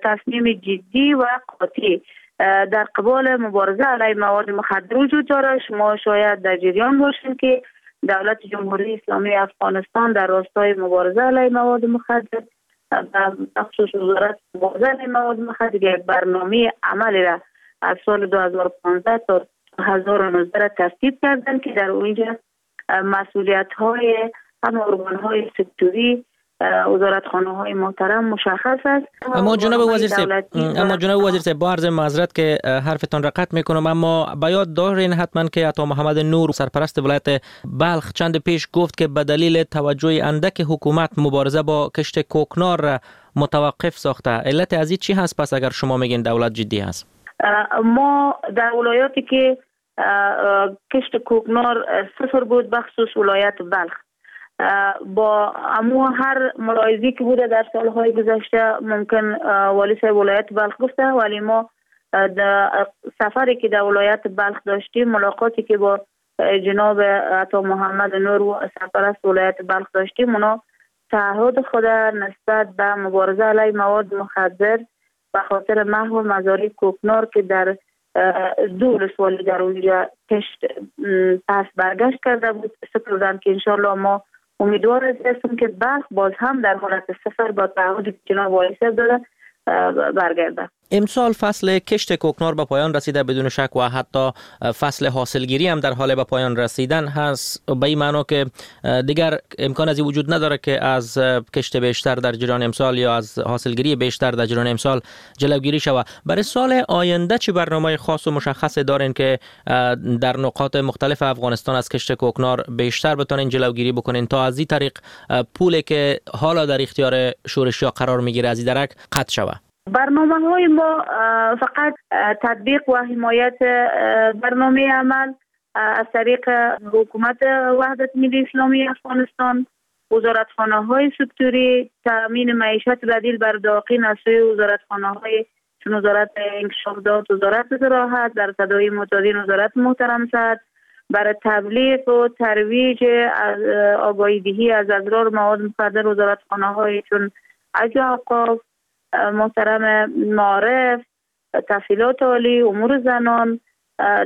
تصمیم جدی و قاطع در قبال مبارزه علیه مواد مخدر وجود داره. شما شاید در جریان باشین که دولت جمهوری اسلامی افغانستان در راستای مبارزه علیه مواد مخدر و مخصوص وزارت مبارزه علیه مواد مخدر یک برنامه عملی را از سال دو هزار و پانزده تا دو هزار و نوزده را ترتیب کردند که در اونجا مسئولیت های هم ارگان های سکتوری وزارتخانه های محترم مشخص است. اما جناب وزیر صاحب، اما جناب وزیر صاحب با عرض معذرت که حرفتان را قطع میکنم، اما به یاد دارین حتما که عطا محمد نور سرپرست ولایت بلخ چند پیش گفت که به دلیل توجه اندک حکومت مبارزه با کشت کوکنار را متوقف ساخته. علت از این چی هست پس اگر شما میگین دولت جدی هست؟ ما در ولایاتی که کشت کوکنار صفر بود، بخصوص ولایت بلخ، با امو هر ملاحظه‌ای که بوده در سالهای گذشته ممکن والی صاحب ولایت بلخ گفته، ولی ما در سفری که در ولایت بلخ داشتیم، ملاقاتی که با جناب عطا محمد نور و سرپرست ولایت بلخ داشتیم، اونا تعهد خود نسبت به مبارزه علیه مواد مخدر به خاطر محو مزارع کوکنار که در دو ولسوالی در اونجا کشت پس برگشت کرده بود سپردن که انشالله ما امیدوار هستیم که بلخ باز هم در حالت صفر با تعهد جناب والی صاحب داده برگرده. امسال فصل کشت کوکنار به پایان رسیده بدون شک و حتی فصل حاصلگیری هم در حال به پایان رسیدن هست، به این معنا که دیگر امکان از این وجود نداره که از کشت بیشتر در جریان امسال یا از حاصلگیری بیشتر در جریان امسال جلوگیری شود. برای سال آینده چه برنامه خاص و مشخص دارین که در نقاط مختلف افغانستان از کشت کوکنار بیشتر بتونین جلوگیری بکنین تا از این طریق پولی که حالا در اختیار شورشیا قرار میگیره از این درک قطع شود؟ برنامه های ما فقط تطبیق و حمایت برنامه عمل از طریق حکومت وحدت ملی اسلامی افغانستان، وزارتخانه های سکتوری، تامین معیشت بدیل بر داقین از سوی وزارتخانه های چون وزارت انکشاف داد، وزارت زراعت، در تداعی معتادین وزارت محترم صحت، برای تبلیغ و ترویج آگاهی دهی از اضرار مواد مخدر وزارتخانه های چون حج اوقاف، محترم معارف، تحصیلات عالی، امور زنان،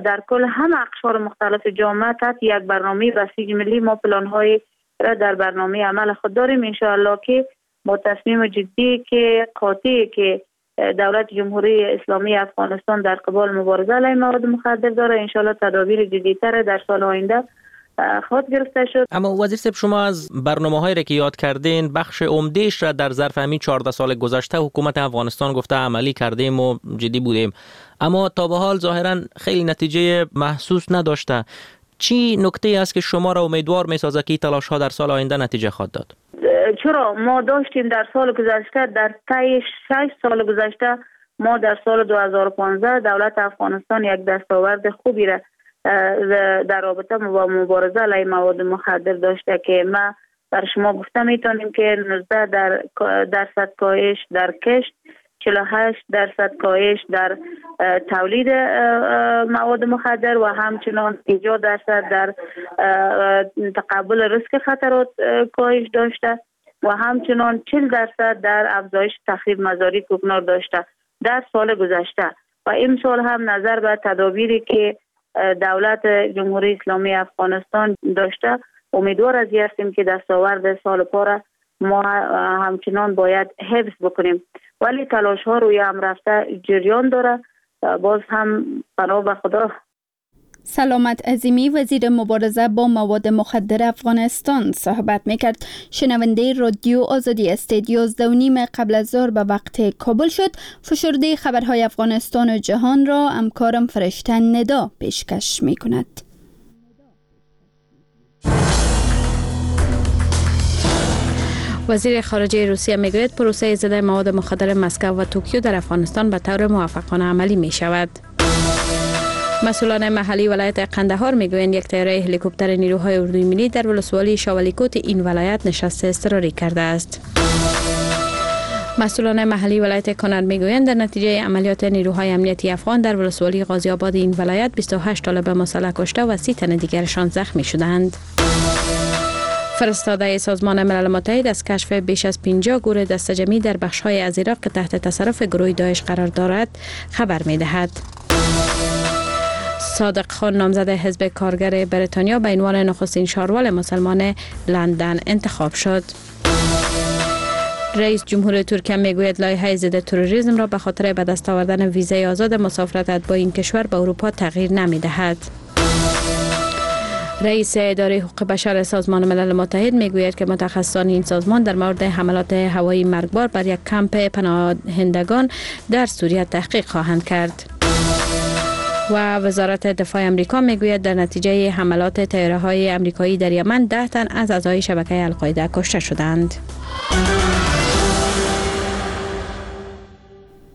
در کل هم اقشار مختلف جامعه تحت یک برنامه بسیج ملی ما پلان های را در برنامه عمل خود داریم. انشاءالله که با تصمیم جدی که قاطعی که دولت جمهوری اسلامی افغانستان در قبال مبارزه علیه مواد مخدر داره، انشاءالله تدابیر جدی‌تر در سال آینده خود گرفته شد. اما وزیر صاحب، شما از برنامه‌هایی را که یاد کردین بخش عمده‌اش را در ظرف همین چهارده سال گذشته حکومت افغانستان گفته عملی کردیم و جدی بودیم، اما تا به حال ظاهرا خیلی نتیجه محسوس نداشته. چی نکته است که شما را امیدوار می‌سازد که تلاش‌ها در سال آینده نتیجه خواهد داد؟ چرا ما داشتیم در سال گذشته، در طی شش سال گذشته ما در سال دو هزار و پانزده دولت افغانستان یک دستاورد خوبی را در رابطه با مبارزه علیه مواد مخدر داشته که ما بر شما گفته میتونیم که نوزده در درصد کاهش در کشت، چهل و هشت درصد کاهش در تولید مواد مخدر و همچنان پنجاه درصد در تقبل ریسک خطرات کاهش داشته و همچنان چهل درصد در افزایش تخریب مزارع کوکنار داشته در سال گذشته. و امسال هم نظر به تدابیری که دولت جمهوری اسلامی افغانستان داشته امیدوار از این هستیم که دستاورد سال پار ما همچنان باید حفظ بکنیم، ولی تلاش ها روی هم رفته جریان داره. باز هم پناه به خدا. سلامت عظیمی، وزیر مبارزه با مواد مخدر افغانستان صحبت میکرد. شنونده رادیو آزادی استید. یازده و نیم قبل از ظهر به وقت کابل شد. فشرده خبرهای افغانستان و جهان را همکارم فرشته ندا پیشکش میکند. وزیر خارجه روسیه میگوید پروسه ضد مواد مخدر مسکو و توکیو در افغانستان به طور موفقانه عملی می شود. مسئولان محلی ولایت قندهار میگویند یک طیاره هلیکوپتر نیروهای اردوی ملی در ولسوالی شاولیکوت این ولایت نشست اضطراری کرده است. مسئولان محلی ولایت کنر میگویند در نتیجه عملیات نیروهای امنیتی افغان در ولسوالی غازی آباد این ولایت بیست و هشت طالب مسلح کشته و سی تن دیگرشان زخمی شدند. فرستاده سازمان ملل متحد از کشف بیش از پنجاه گور دستجمعی در بخش‌های از عراق که تحت تصرف گروه داعش قرار دارد خبر می‌دهد. صادق خان، نامزد حزب کارگر بریتانیا، به عنوان نخستین شاروال مسلمان لندن انتخاب شد. رئیس جمهور ترکیه میگوید لایحه ضد تروریسم را به خاطر به دست آوردن ویزای آزاد مسافرت با این کشور به اروپا تغییر نمی‌دهد. رئیس اداره حقوق بشر سازمان ملل متحد میگوید که متخصصان این سازمان در مورد حملات هوایی مرگبار بر یک کمپ پناهندگان در سوریه تحقیق خواهند کرد. و وزارت دفاع امریکا میگوید در نتیجه حملات طیاره‌های امریکایی در یمن ده تن از اعضای شبکه القاعده کشته شدند.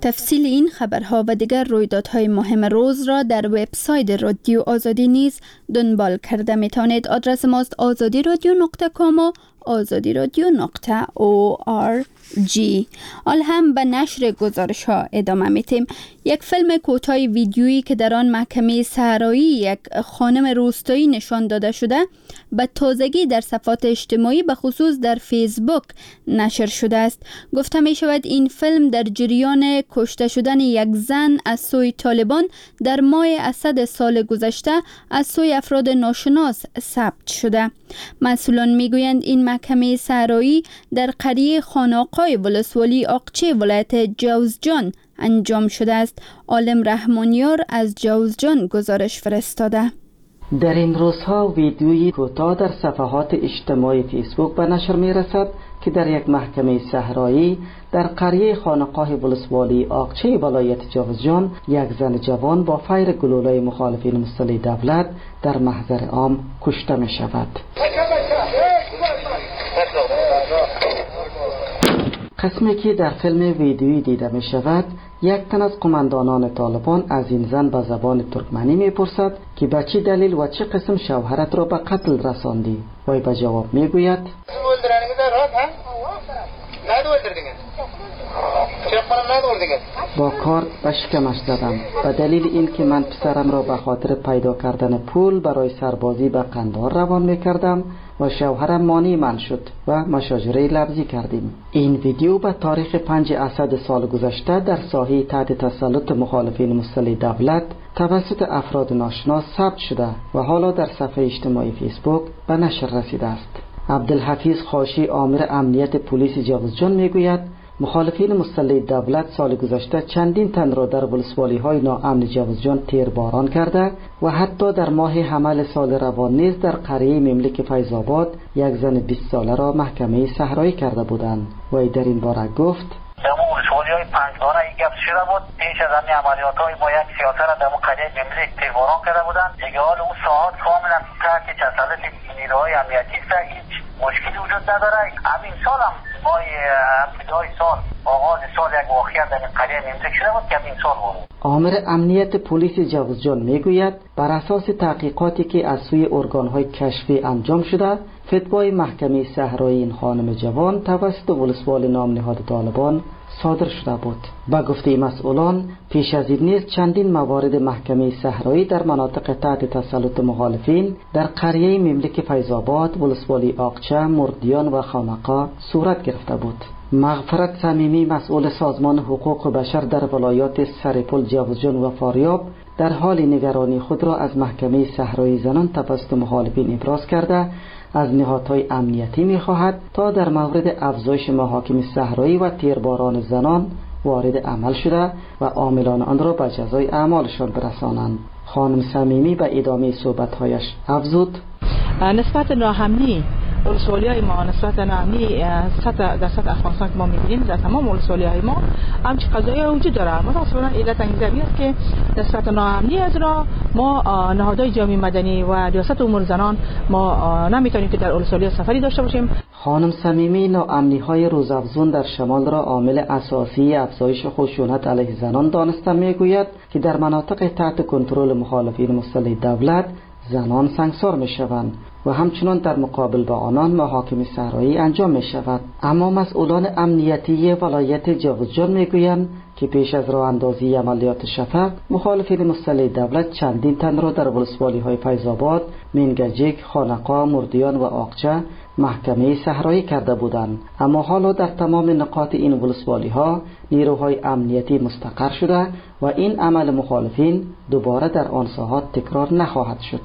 تفصیل این خبرها و دیگر رویدادهای مهم روز را در وبسایت رادیو آزادی نیز دنبال کرده می توانید. آدرس ماست آزادی رادیو نقطه کام و آزادی رادیو نقطه او آر جی. حال هم به نشر گزارش ها ادامه میتیم. یک فیلم کوتاه ویدیویی که در آن محکمه صحرایی یک خانم روستایی نشان داده شده به تازگی در صفحات اجتماعی به خصوص در فیسبوک نشر شده است. گفته می شود این فیلم در جریان کشته شدن یک زن از سوی طالبان در ماه اسد سال گذشته از سوی افراد ناشناس ثبت شده. مسئولان میگویند این محکمه صحرایی در قریه خاناقای ولسوالی آقچه ولایت جوزجان انجام شده است. عالم رحمانیار از جوزجان گزارش فرستاده. در این روزها ویدیوی کوتاه در صفحات اجتماعی فیسبوک به نشر می رسد که در یک محکمه صحرایی در قریه خانقاه ولسوالی آقچه ولایت جوزجان یک زن جوان با فیر گلوله مخالفین مسلح دولت در محضر عام کشته می شود. قسمی که در فیلم ویدیویی دیده می شود، یک تن از قماندانان طالبان از این زن به زبان ترکمنی می پرسد که به چه دلیل و چه قسم شوهرت را به قتل رساندی؟ وی به جواب می گوید با کارت به شکمش زدم به دلیل اینکه من پسرم را به خاطر پیدا کردن پول برای سربازی به قندهار روان می کردم و شوهرم مانع من شد و مشاجره لفظی کردیم. این ویدیو به تاریخ پنج اسد سال گذشته در ساحه تحت تسلط مخالفین مسلح دولت توسط افراد ناشناس ثبت شده و حالا در صفحه اجتماعی فیسبوک به نشر رسیده است. عبدالحفیظ خاشی، آمر امنیت پلیس جوزجان، میگوید مخالفین مسلح دولت سال گذشته چندین تن را در ولسوالی‌های ناامن جوزجان تیرباران کرده و حتی در ماه حمل سال روان نیز در قریه مملک فیض آباد یک زن بیست ساله را محکمه صحرایی کرده بودند. وی در این باره گفت: در ولسوالی‌های پنجگانه این گپ شده بود، پیش از همین عملیات‌های ما یک سیاسه را در قریه مملک تیرباران کرده بودند. دیگه حال اون ساعت کاملا تحت تسلط نیروهای امنیتی است، هیچ مشکلی وجود نداره. همین سال هم ماه ابتدای سال، آغاز سال، یک واقعه در قریه مملک شده بود که همین سال بود. آمر امنیت پلیس جوزجان میگوید بر اساس تحقیقاتی که از سوی ارگان‌های کشفی انجام شده، فتوای محکمه صحرایی این خانم جوان توسط ولسوال نام نهاد طالبان صادر شده بود. با گفته مسئولان، پیش از این نیز چندین موارد محکمه صحرایی در مناطق تحت تسلط مخالفین در قریه مملک فیض آباد، ولسوالی آقچه، مردیان و خانقا صورت گرفته بود. مغفرت صمیمی، مسئول سازمان حقوق بشر در ولایات سرپل، جوزجان و فاریاب، در حال نگرانی خود را از محکمه صحرایی زنان توسط مخالفین ابراز کرده، از نهادهای امنیتی می‌خواهد تا در مورد افزایش محاکم صحرایی و تیرباران زنان وارد عمل شده و عاملان آن را به جزای اعمالشان برسانند. خانم صمیمی به ادامه صحبت‌هایش افزود: نسبت ناامنی ولسوالی‌های ما، نسبت ناامنی سطح در سطح افغانستان که ما می‌بینیم در تمام ولسوالی‌های ما همچین قضایای وجود داره. متأسفانه علت این است که نسبت ناامنی از را ما نهادهای جامعه مدنی و ریاست امور زنان ما نمی‌تونیم که در ولسوالی سفری داشته باشیم. خانم صمیمی ناامنی‌های روزافزون در شمال را عامل اساسی افزایش خشونت علیه زنان دانسته می‌گوید که در مناطق تحت کنترل مخالفین مسلح دولت زنان سنگسار می‌شوند و همچنان در مقابل با آنان محاکمه صحرایی انجام می شود. اما مسئولان امنیتی ولایت جوزجان می گویند که پیش از راه اندازی عملیات شفق، مخالفین مسلح دولت چندین تن را در ولسوالی های فیض آباد، منگجک، خانقا، مردیان و آقچه محکمه صحرایی کرده بودند. اما حالا در تمام نقاط این ولسوالی ها نیروهای امنیتی مستقر شده و این عمل مخالفین دوباره در آن ساحات تکرار نخواهد شد.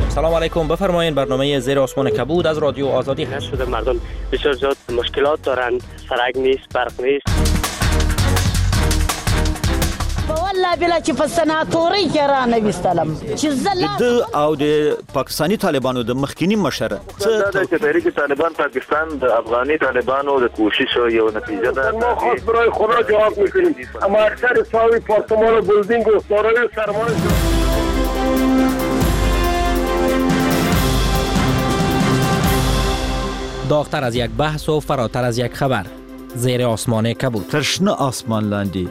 سلام علیکم، بفرمایید برنامه زیر آسمان کبود از رادیو آزادی هست. شده مردم بسیار زیاد مشکلات دارند، سرک نیست، برق نیست. والله بلا چې په سناتوري کې را نه وستلم چې زله د او د پاکستاني طالبانو د مخکینی مشر څه د تحریک طالبان پاکستان د افغاني طالبانو د کوشش یو نتیجه ده. ما خاص برای خدا جواب میکنیم، اما اکثر ساوی پارتمان و بلدینگ و دارای سرمایه. داغ‌تر از یک بحث و فراتر از یک خبر، زیر آسمان کبود. تر شنه آسمان لاندې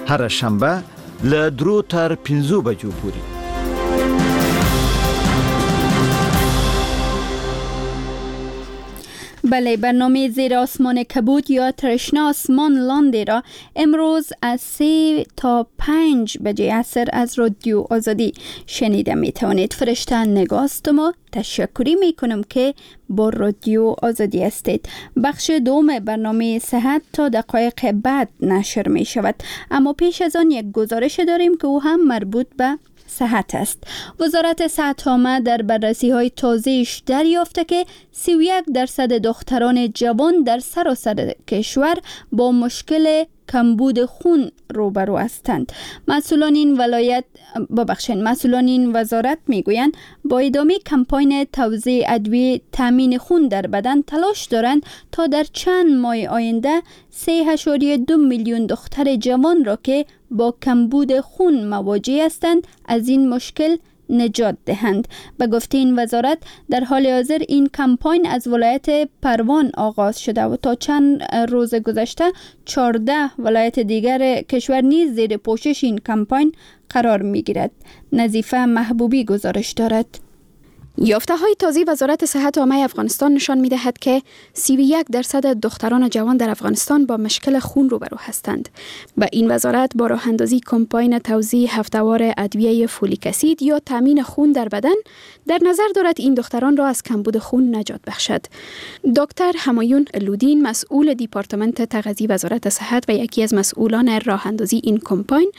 هره شنبه له درو تر پنځو بجو پورې. بله، برنامه زیر آسمان کبود یا ترشنا آسمان لاندې را امروز از سه تا پنج بجه عصر از رادیو آزادی شنیده می توانید. فرشته نگاست ما تشکری می کنم که با رادیو آزادی هستید. بخش دوم برنامه صحت تا دقایق بعد نشر می شود، اما پیش از آن یک گزارش داریم که او هم مربوط به صحت است. وزارت صحت عامه در بررسی های تازه‌اش دریافته که سی و یک درصد دختران جوان در سراسر کشور با مشکل کمبود خون روبرو هستند. مسئولان این ولایت ببخشید مسئولان این وزارت میگویند با ادامه کمپاین توزیع ادویه تامین خون در بدن تلاش دارند تا در چند ماه آینده سه اعشاریه دو میلیون دختر جوان را که با کمبود خون مواجه هستند از این مشکل نجات دهند. به گفته این وزارت در حال حاضر این کمپاین از ولایت پروان آغاز شده و تا چند روز گذشته چهارده ولایت دیگر کشور نیز زیر پوشش این کمپاین قرار می‌گیرد. نظیفه محبوبی گزارش دارد. یافته های تازه وزارت صحت عامه افغانستان نشان می دهد که سی و یک درصد دختران جوان در افغانستان با مشکل خون روبرو هستند. به این وزارت با راه اندازی کمپاین توزیع هفته‌وار ادویه فولیک اسید یا تامین خون در بدن در نظر دارد این دختران را از کمبود خون نجات بخشد. دکتر همایون لودین، مسئول دیپارتمنت تغذیه وزارت صحت و یکی از مسئولان راه اندازی این کمپاین،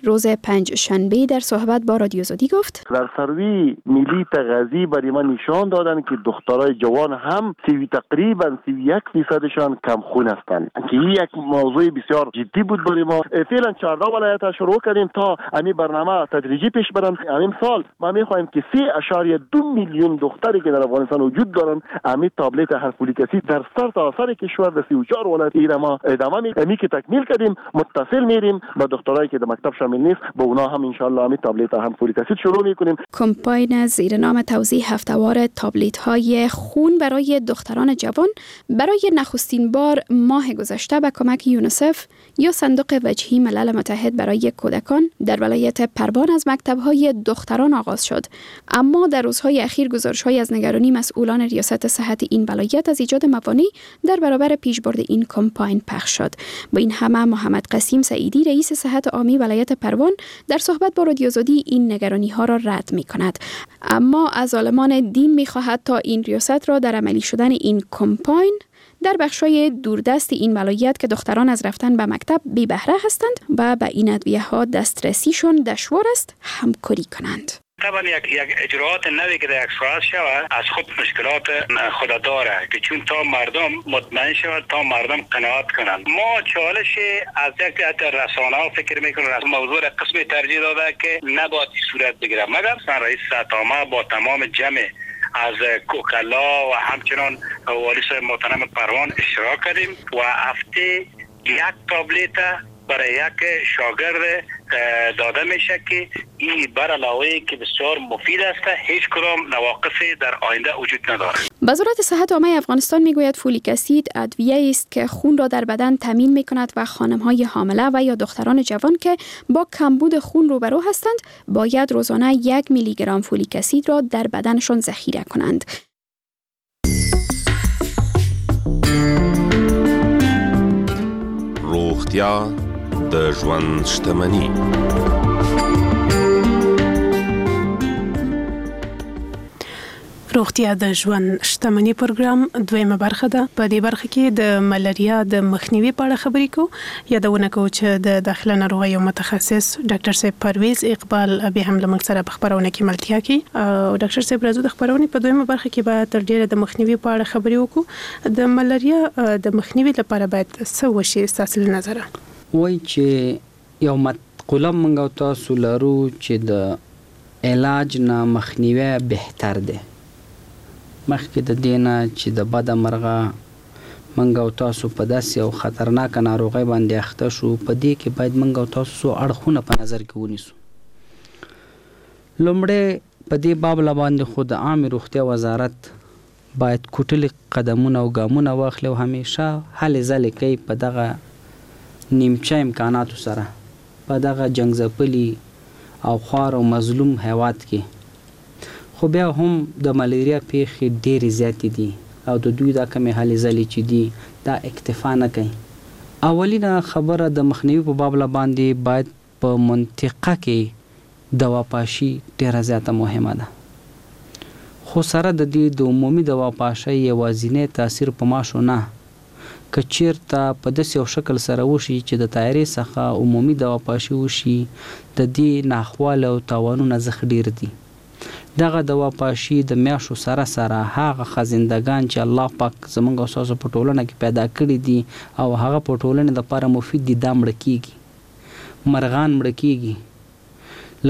روز پنج شنبه در صحبت با رادیو آزادی گفت: در سروی ملی تغذیه ای برای ما نشان دادن که دخترای جوان هم سی تقریبا سی و یک فیصدشان کم خون هستند که این یک موضوع بسیار جدی بود برای ما. فعلا چهارده ولایت شروع کردیم تا امی برنامه تدریجی پیش برن. همین سال ما میخواهیم که سه اعشاریه دو میلیون دختری که در افغانستان وجود دارن امی تابلت فولیک اسید در سر تا سر کشور در سی و چهار ولایت ایره ما ادامه می امی که تکمیل کردیم متصل میریم با دخترایی که در مکتب شامل نیست با اونا هم ان شاء الله امی تابلت هم فولیک اسید شروع میکنیم. کمپاین زیر نام توزیع هفته‌وار تابلت های خون برای دختران جوان برای نخستین بار ماه گذشته به کمک یونیسف یا صندوق وجهی ملل متحد برای کودکان در ولایت پروان از مکتب‌های دختران آغاز شد. اما در روزهای اخیر گزارش‌های از نگرانی مسئولان ریاست صحت این ولایت از ایجاد موانع در برابر پیشبرد این کمپاین پخش شد. با این همه محمد قسیم سعیدی رئیس صحت عامی ولایت پروان در صحبت با رادیو آزادی این نگرانی‌ها را رد می‌کند، اما از عالمان دین می‌خواهد تا این ریاست را در عملی شدن این کمپاین در بخش‌های دوردست این ولایت که دختران از رفتن به مکتب بی بهره هستند و به این ادویه ها دسترسیشون دشوار است همکاری کنند. طبعا یک یک اجراعات نوی که در یک ساعت شود از خود مشکلات خود داره که چون تا مردم مطمئن شود تا مردم قناعت کنند. ما چالش از یک رسانه ها فکر میکنیم از موضوع قسم ترجیح داده که نباید صورت بگیره، مگر رئیس ستامه با تمام جمع از کوکلا و همچنان والی صاحب محترم پروان اشتراک کردیم و هفته یک تابلت برای یک شاگرد داده میشه که این بر علاوه که بسیار مفید است هیچ کدام نواقصی در آینده وجود ندارد. وزارت صحت عامه افغانستان میگوید فولیک اسید ادویه است که خون را در بدن تامین میکند و خانم های حامله و یا دختران جوان که با کمبود خون روبرو هستند باید روزانه یک میلی گرم فولیک اسید را در بدنشان ذخیره کنند. روغتیا د ژوند شتمني. روغتیا د ژوند شتمني پروګرام دویمه برخه ده. په دې برخه کې د ملاریا د مخنیوي په اړه خبرې کوو. یادونه کوو چې د داخله ناروغیو متخصص ډاکټر صاحب پرویز اقبال بیا هم له موږ سره په خپرونه کې ملتیا کوي. او ډاکټر صاحب راځو د خپرونې په دویمه برخه کې به تر ډېره د مخنیوي په اړه خبرې وکړو. د ملاریا د مخنیوي لپاره باید څه وشي ستاسو له نظره؟ وایي چې یو مقوله موږ او تاسو لرو چې د علاج نه مخنیوی بهتر دی. مخکې د دې نه چې د بده مرغه موږ او تاسو په داسې یو خطرناکه ناروغۍ باندې اخته شو، په دې کې باید موږ او تاسو څو اړخونه په نظر کې ونیسو. لومړی په دې باب له باندې خو د عامې روغتیا وزارت باید کوټلي قدمونه او ګامونه واخلي او همیشه هلې ځلې کوي په دغه نیمچه امکاناتو سره په دغه جنګ ځپلي او خوار او مظلوم هیواد کې. خو بیا هم د ملیریا پیښې ډېرې زیاتې دي او د دوی دا کمې هلې ځلې چې دي دا اکتفا نه کوي. اولینه خبره د مخنیوي په باب له باندې باید په منطقه کې دواپاشي ډېره زیاته مهمه ده. خو سره د دې د عمومي دواپاشۍ یوازینی تاثیر په ماشو نه، که چیرته په داسې یو شکل سره وشي چې د تیارې څخه عمومي دواپاشي وشي، د دې ناخواله او تاوانونه زښت ډېر دي. دغه دواپاشي د میاشو سره سره هغه خزندګان چې الله پاک زمونږ او ستاسو په ټولنه کې پیدا کړي دي او هغه په ټولنې دپاره مفید دي، دا مړه کیږي، مرغان مړه کیږي.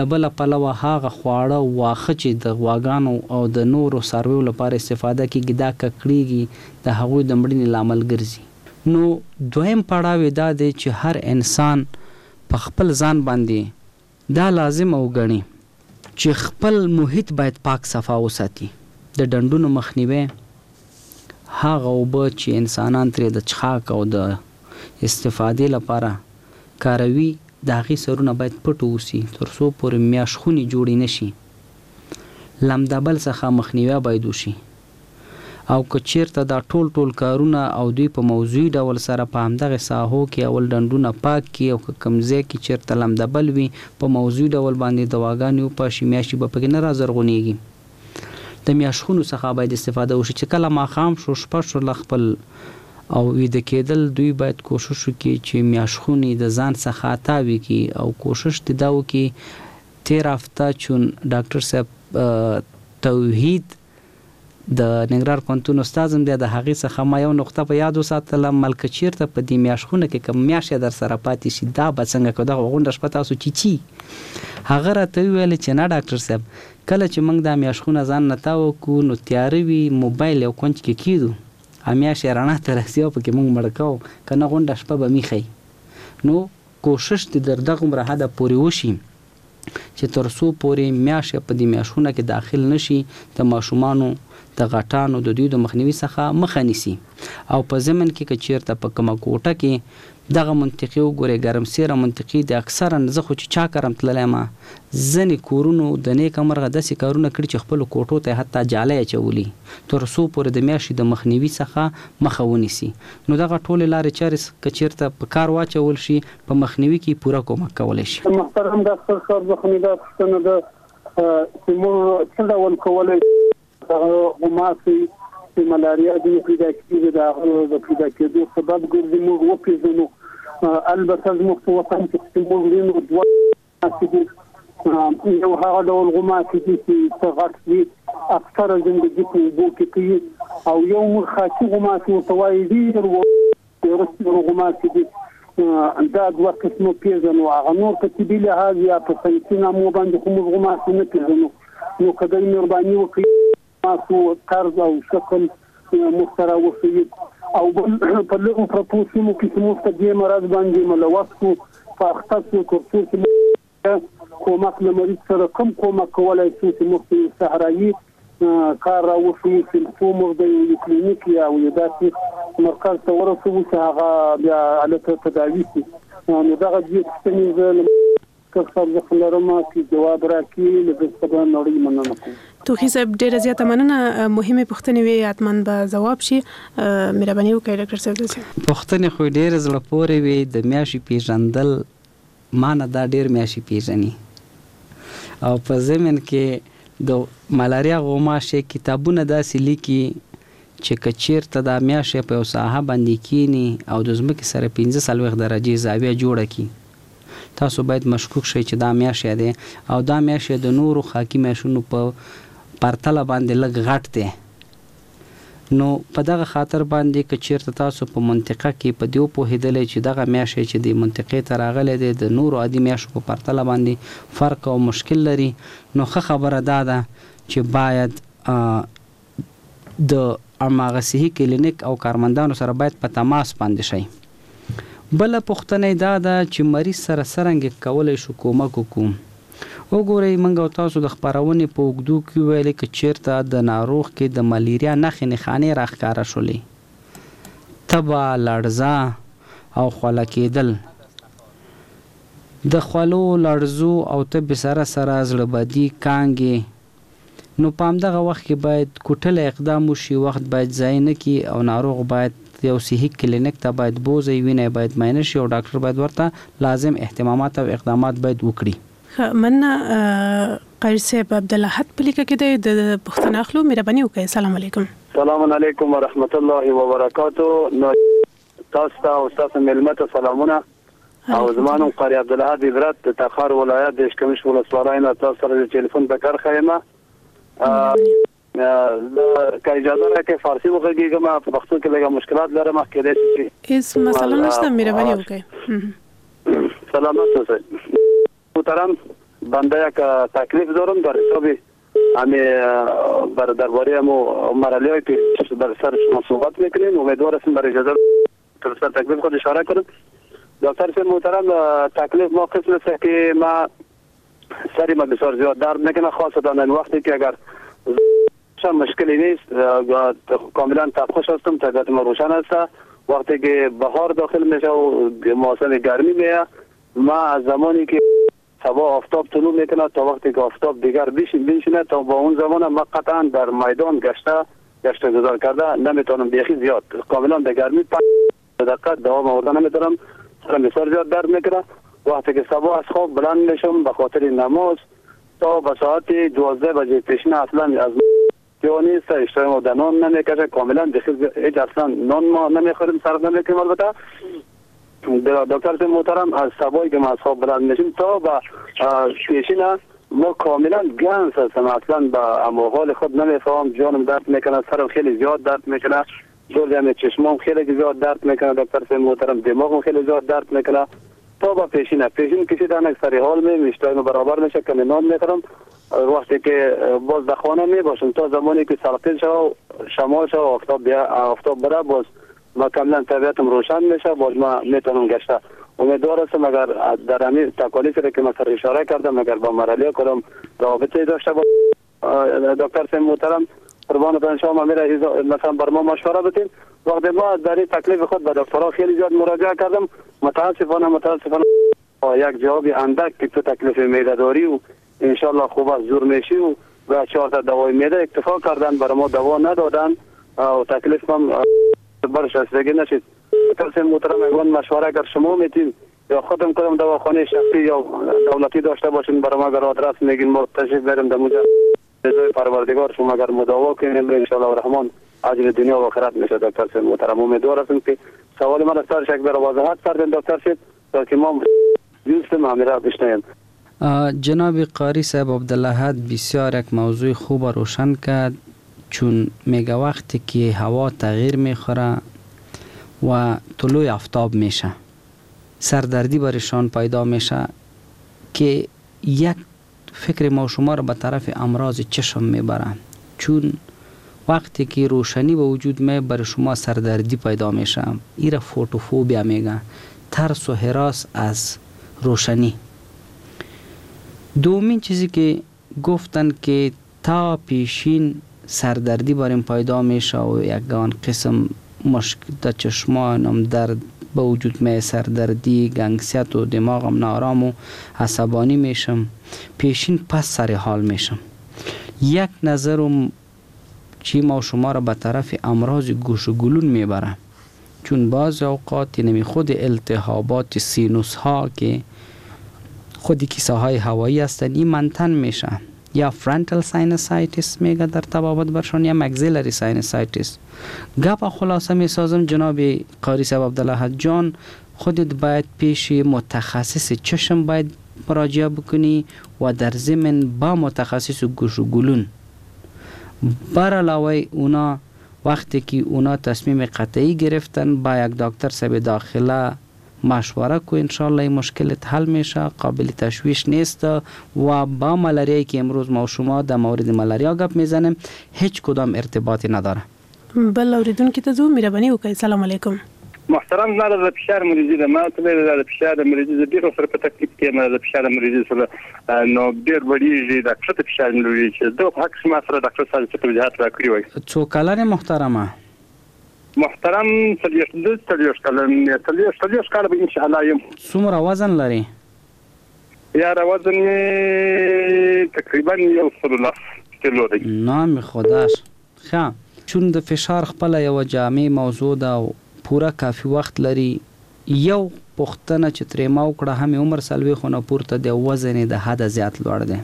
له بله پلوه هغه خواړه او واښه چې د غواګانو او د نورو څارویو لپاره استفاده کیږي دا ککړیږي، د هغوی د مړینې لامل ګرځي. نو دویم پړاو یې دا دی چې هر انسان په خپل ځان باندې دا لازمه وګڼي چې خپل محیط باید پاک صفا وساتي. د ډنډونو مخنیوی، هغه اوبه چې انسانان ترې د څښاک او د استفادې لپاره کاروي د هغې سرونه باید پټ اوسي تر څو پورې میاشخونې جوړې نه شي. لمدبل څخه مخنیوی باید وشي او که چیرته دا ټول ټول کارونه او دوی په موضوعي ډول سره په همدغې ساحو کې اول ډنډونه پاک کړي او که کوم ځای کې چیرته لمدبل وي په موضوعي ډول باندې دواګانې وپاشي، میاشتې به پکې نه رازرغونېږي. د میاشخونو څخه باید استفاده وشي چې کله ماښام شو، شپه شو، له خپل او ویده کېدل دوی باید کوشش وکړي چې میاشخونې د ځان څخه تاوي کړي او کوشش دې دا وکړي. تېره هفته چون ډاکټر صاحب توحید د ننګرهار پوهنتون استاد هم دی، د هغې څخه ما یو نقطه په یاد وساتله، مل که چېرته په دې میاشخونه کې کوم میاشت در سره پاتې شي دا به څنګه کو، دغه غونډه شپه تاسو چیچی. هغه راته وویل چې نه ډاکټر صاحب، کله چې موږ دا میاشخونه ځان نه تاو کړو نو تیاره وي، موبایل یو کنج کې کېدو او میاشت یې رڼا ته رسي او پکې موږ مړه کوو، که نه غونډه شپه به میخی. نو کوشش دې در دغومره حده پورې وشي چې تر څو پورې میاشت په دې میاشتونه کې داخل نشي، د ماشومانو د غټانو د دوی د مخنیوي څخه مخه نیسي. او په ضمن کې که چیرته په کومه کوټه کې دغه منطقي وګورئ، ګرمسیره منطقي د اکثرا زه خو چې چا کرم تللی یم، ځینې کورونو د نیکه مرغه داسې کارونه کړي چې خپلو کوټو ته یې حتی جالۍ اچولي تر څو پورې د میاشتې د مخنیوي څخه مخه ونیسي. نو دغه ټولې لارې چارې که چیرته په کار واچول شي په مخنیوي کې پوره کومک کولی شي. محترم ډاکټر صاحب، زه مې دا پوښتنه ده چې موږ څه ډول کولی دغه غوماشې چې ملاریا ځینې پیدا کېږي د هغه د پیدا کېدو سبب ګرځي موږ وپېژنو؟ البته زموږ په وطن کې چې موږ وینو دوه غوماشې دي، یو هغه ډول غوماشې دي چې څه غټ دي، اکثره زندګي په اوبو کې کوي، او یو موږ خاکي غوماشې ورته وایي، ډېر وروستي غوماشې دي. دا دوه قسمه پېژنو. هغه نور په طبي لحاظ یا په ساینسي نامو باندې خو موږ غوماشې نه پېژنو. نو که دی مهرباني وکړي تاسو طرز او شکل موږ ته راوښیي. او بل په لرو پرتو سیمو کې چې موږ په دې مرض باندې ملوث شو، په اخته شو، تر څو چې موږ کومک له مریض سره کوم کومک کولی شو چې موږ ته یو صحرایي کار راوښیي چې څو موږ د یو کلینیک یا یو داسې مرکز ته ورسوو چې هغه بیا هلته تداوي شي. نو دغه دوې پوښتنې زه له ډاکټر صاحب څخه لرم چې جواب راکړي، له ده څخه به نړۍ مننه کوم. توخي صاحب ډېره زیاته مننه، مهمې پوښتنې وې، حتما به ځواب شي. مهرباني وکړئ ډاکټر صاحب. پوښتنې خو ډېرې زړه پورې وې. د میاشتې پېژندل ما نه دا ډېر میاشتې پېژني، او په ضمن کې د ملاریا غوماشې کتابونه داسې لیکي چې که چیرته دا میاشت په یو ساحه باندې کینی او د ځمکې سره پنځه څلوېښت درجې زاویه جوړه کړي، تاسو باید مشکوک شئ چې دا میاشت دی، او دا میاشت د نورو خاکي میاشونو په پرتله باندې لږ غټ دی. نو په دغه خاطر باندې که چیرته تاسو په منطقه کې په دې وپوهېدلی چې دغه میاشت چې د منطقې ته راغلی دی د نورو عادي میاشو په پرتله باندې فرق او مشکل لري، نو ښه خبره دا ده چې باید د هماغه صحي کلینیک او کارمندانو سره باید په تماس باندې شئ. بله پوښتنه یې دا ده چې مریض سره څرنګه کولی شو کومک وکړو. وګورئ، موږ او تاسو د خپرونې په اوږدو کې وویلې که چیرته د ناروغ کې د ملیریا نښې نښانې راښکاره شولې، تبه، لړزه او خوله کېدل، د خولو، لړزو او تبې سره سره زړه بدي، کانګې، نو په همدغه وخت کې باید کوټلی اقدام وشي، وخت باید ضایع نه کړي او ناروغ باید یو صحي کلینیک ته باید بوځي، وینه یې باید معاینه شي او ډاکټر باید ورته لازم اهتمامات او اقدامات باید وکړي. ښه، مننه قاري صاحب عبدالاحد په لیکه کې دی، د پوښتنه اخلو، مهرباني وکړئ. سلام علیکم. سلام علیکم ورحمت الله وبرکاتو. تاسو ته او ستاسو مېلمه ته سلامونه. او زما نوم قاري عبدالاحد عبرت د تخار ولایت د اشکمش ولسوالۍ نه تاسو سره د ټلیفون په کرښه یم. که اجازه راکړئ فارسي وغږېږم، په پښتو کې لږه مشکلات لرم، کېدای شي چې هیڅ مسله نشته، مهرباني وکړئ. سلامت اوسئ. محترم، بنده یک تکلیف دارم در حساب همی بر درباره همو مرحله های که بر سر شما صحبت میکنیم. امیدوار هستم بر اجازه تر سر تکلیف خود اشاره کنم. دکتر صاحب محترم، تکلیف ما قسم است که ما سری ما بسیار زیاد درد میکنه، خاصتا این وقتی که اگر مشکلی نیست، کاملا تبخوش هستم، طبیعت ما روشن است. وقتی که بهار داخل میشه و موسم گرمی میه، ما از زمانی که صبح آفتاب طلوع میکنه تا وقتی که آفتاب دیگر بشینه تا با اون زمان ما قطعا در میدان گشته گشت گذار کرده نمیتونم، بیخی زیاد کاملا در گرمی پنج دقیقه دوام آورده نمیتونم، سرم بسیار زیاد درد میکنه. وقتی که صبح از خواب بلند میشم به خاطر نماز تا به ساعت دوازده بجه پیشینه اصلا از یا نیست، اشتهای ما در نان نمیکشه، کاملا هیچ اصلا نان ما نمیخوریم، صرف نمیکنیم. البته دکتر محترم، از صبحی که ما از خواب بلند میشیم تا به پیشینه ما کاملا گنس هستم، اصلا به امو حال خود نمیفهم، جانم درد میکنه، سرم خیلی زیاد درد میکنه، جلدم چشمام خیلی زیاد درد میکنه دکتر صاحب محترم، دماغم خیلی زیاد درد میکنه. تا با پیشینه پیشین کشیدن یک سری حال می میشتایم برابر میشه که نان میخورم، وقتی که باز در خانه می باشم تا زمانی که سرقین شو شمال شو آفتاب بیا آفتاب بره، باز ما کاملا طبیعتم روشن میشه، باز ما میتونم گشته. امیدوار هستم اگر در همین تکالیفی که من سر اشاره کردم اگر با مرحله کدام رابطه داشته با دکتر صاحب محترم قربان شما میره مثلا بر ما مشوره بدین. وقتی ما در این تکلیف خود به دکترها خیلی زیاد مراجعه کردم، متاسفانه متاسفانه یک جواب اندک که تو تکلیف معده داری و انشالله خوب از زور میشی و و چهار تا دوای معده اکتفا کردن، برای ما دوا ندادن و تکلیف هم برش رسیدگی نشد. دکتر محترم اگه مشوره اگر شما میتین یا خودم کدام دواخانه شخصی یا دولتی داشته باشین برای ما اگر آدرس میگین ما تشریف بریم در اونجا رضای پروردگار شما اگر مداوا کنیم ان شاء الله الرحمن اجر دنیا و آخرت میشه. دکتر صاحب محترم امیدوار هستم که سوال من از سر شک بر وضاحت کردن دکتر صاحب تا که ما دوست معامله بشنویم. جناب قاری صاحب عبدالاحد بسیار یک موضوع خوب روشن کرد، چون میگه وقتی که هوا تغییر میخوره و طلوع آفتاب میشه سردردی برشان پیدا میشه که یک فکر ما شما رو به طرف امراض چشم میبره، چون وقتی که روشنی به وجود می بر شما سردردی پیدا میشه. ایره فوتوفوبیا میگه، ترس و هراس از روشنی. دومین چیزی که گفتن که تا پیشین سردردی بریم پیدا میشه و یکان قسم مشک در چشمانم درد به وجود می، سردردی، گنگسیت و دماغم نارام و عصبانی میشم، پیشین پس سر حال میشم. یک نظرم چی ما شما را به طرف امراض گوش و گلون میبره، چون بعض اوقات نمی خود التهابات سینوس ها که خود کیسه های هوایی هستند این منتن میشه، یا frontal sinusitis میگه در طبابت برشان یا maxillary sinusitis. گپ خلاصه میسازم جناب قاری صاحب عبدالاحد جان، خودت باید پیش متخصص چشم باید مراجعه بکنی و در ضمن با متخصص گوش و گلون. بر علاوه اونا وقتی که اونا تصمیم قطعی گرفتن با یک دکتر صاحب داخله مشوره کو، انشالله این مشکلت حل میشه، قابل تشویش نیست. و با ملاریایی که امروز ما و شما در مورد ملاریا گپ میزنیم هیچ کدام ارتباطی نداره. بل اوریدونکي ته ځو، مهرباني وکړئ. سلام علیکم. محترم زما د فشار مریضي ده، ما ته د فشار مریضي زه ډېر ورسره په تکلیف کې یم، د فشار مریضي سره نو ډېر لوړېږي، دا کښته فشار مې لوړېږي. دغه په حق کښې ما سره ډاکټر صاحب څه توضیحات راکړي وای. څو کلن یې محترمه؟ محترم څلوېښت څلوېښت کلن څلوېښت څلوېښت کاله به انشاءالله یم. څومره وزن لرې؟ یاره وزن مې تقریبا یو سل لس کیلو دی. نام خداش. ښه، چون د فشار خپله یوه جامع موضوع ده او پوره کافي وخت لري، یو پوښتنه چې ترې ما وکړه هم یې عمر څلوېښتو نه پورته دی، وزن یې د حده زیات لوړ دی.